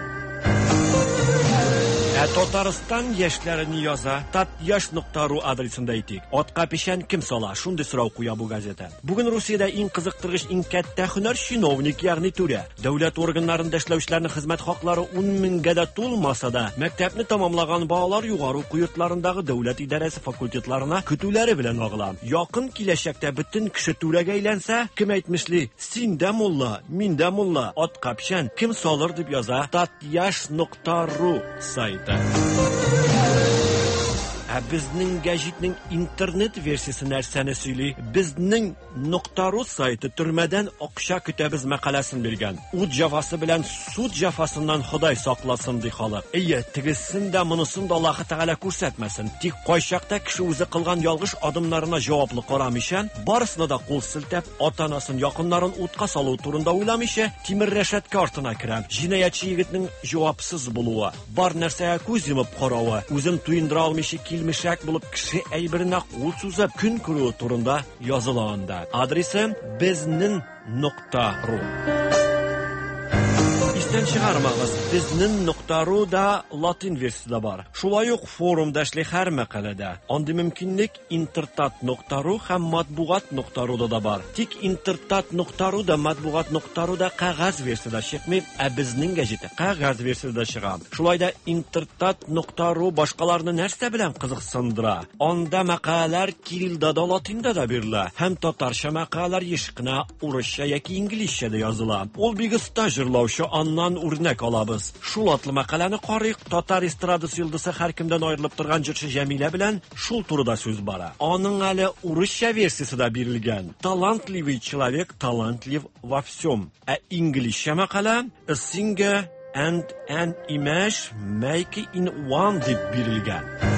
Ә Татарстан яшьләре ни яза? Татяш.ру адресында әйтик. Атка печән кем сала? Шундый сорау куя бу газета. Бүген Русиядә иң кызыктыргыч, иң кәттә һөнәр чиновник, ягъни түрә. Дәүләт органнарында эшләүчеләрнең хезмәт хаклары 10 меңгә дә тулмаса да, мәктәпне тәмамлаган балалар югары уку йортларындагы дәүләт идарәсе факультетларына көтүләре белән агыла. Якын киләчәктә бөтен кеше түрәгә әйләнсә, кем әйтмешли, син дә мулла, мин дә мулла, атка печән кем салыр дип яза татяш.ру сайты. Ә безнең гәҗитнең интернет версиясе нәрсәне сөйли? Безнең .ру сайты төрмәдән акча көтәбез мәкаләсен биргән. Ут җәфасы белән суд җәфасыннан Ходай сакласын, ди халык. Әйе, тегесен дә, монысын да Аллаһы Тәгалә күрсәтмәсен. Тик кайчакта кеше үзе кылган ялгыш адымнарына җаваплы карамыйча, барысына да кул селтәп, ата-анасын, якыннарын утка салу турында уйламыйча, тимер рәшәткә артына керә. Җинаятьче егетнең җавапсыз булуы, бар нәрсәгә күз йомып каравы, үзен туендыра алмыйча килмешәк булып кеше әйберенә кул сузып көн күрүе турында языла анда. Адресы безнең .ру. Истән чыгармагыз, безнең .ру да латин версиясе дә бар. Шулай ук форумда эшли һәр мәкаләдә. Андый мөмкинлек интертат.ру һәм матбугат.руда да бар. Тик интертат.ру да матбугат.ру да кәгазь версиядә чыкмый, ә безнең гәҗите кәгазь версиядә чыга. Шулай да интертат.ру башкаларны нәрсә белән кызыксындыра? Анда мәкаләләр кириллда да, латинда да бирелә һәм татарча мәкаләләр еш кына урысча яки инглизчә дә языла. Ул бик оста җырлаучы, аннан үрнәк алабыз. Шул атлы мәкаләне карыйк. Татар эстрадасы йолдызы һәркемдән аерылып торган җырчы Җәмилә белән шул турыда сүз бара. Аның әле урысча версиясе дә бирелгән. Талантливый человек талантлив во всем. Ә инглизчә мәкалә A singer and an image make in one дип бирелгән.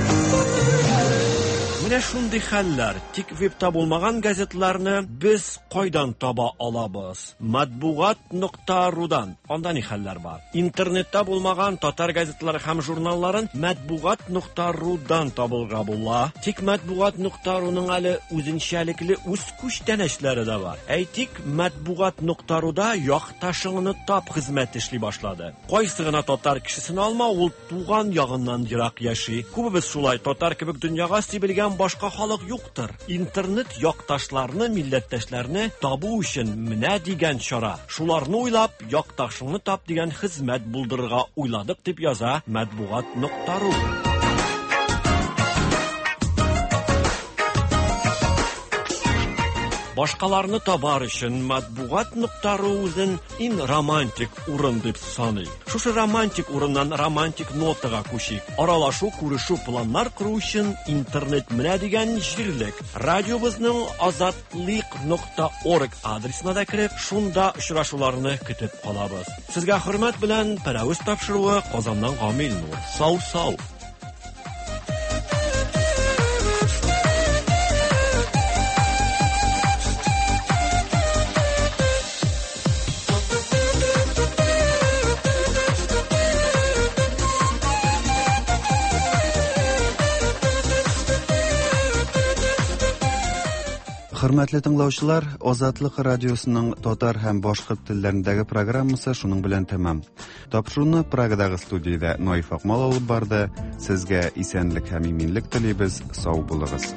Менә шундый хәлләр. Тик вебта булмаган газетларны без кайдан таба алабыз? Матбугат.рудан. Анда ни хәлләр бар? Интернетта булмаган татар газетлары һәм журналларын матбугат.рудан табылга була. Тик матбугат.руның әле үзенчәлекле үз күчтәнәчләре дә бар. Әйтик, матбугат.руда якташыңны тап хезмәте эшли башлады. Кайсы гына татар кешесен алма, ул туган ягыннан ерак яши. Күбебез шулай, татар кебек дөньяга сибелгән башка халык юктыр. Интернет якташларны, милләттәшләрне табу өчен менә дигән чара. Шуларны уйлап, якташыңны тап дигән хезмәт булдырырга уйладык, дип яза матбугат.ру. Башкаларны табар өчен матбугат.ру үзен иң романтик урын дип саный. Шушы романтик урыннан романтик нотага күчик. Аралашу, күрешү, планнар кору өчен интернет менә дигән җирлек. Радиобызның azatliq.org адресына да кереп, шунда очрашуларны көтеп калабыз. Сезгә хөрмәт белән Пәрәвез тапшыруы Казаннан Гамил Нур. Сау-сау. Хөрмәтле тыңлаучылар, Азатлык радиосының татар һәм башкорт телләрендәге программасы шуның белән тәмам. Тапшыруны Прагадагы студиядә Наиф Акмал алып барды. Сезгә исәнлек һәм иминлек телибез. Сау булыгыз.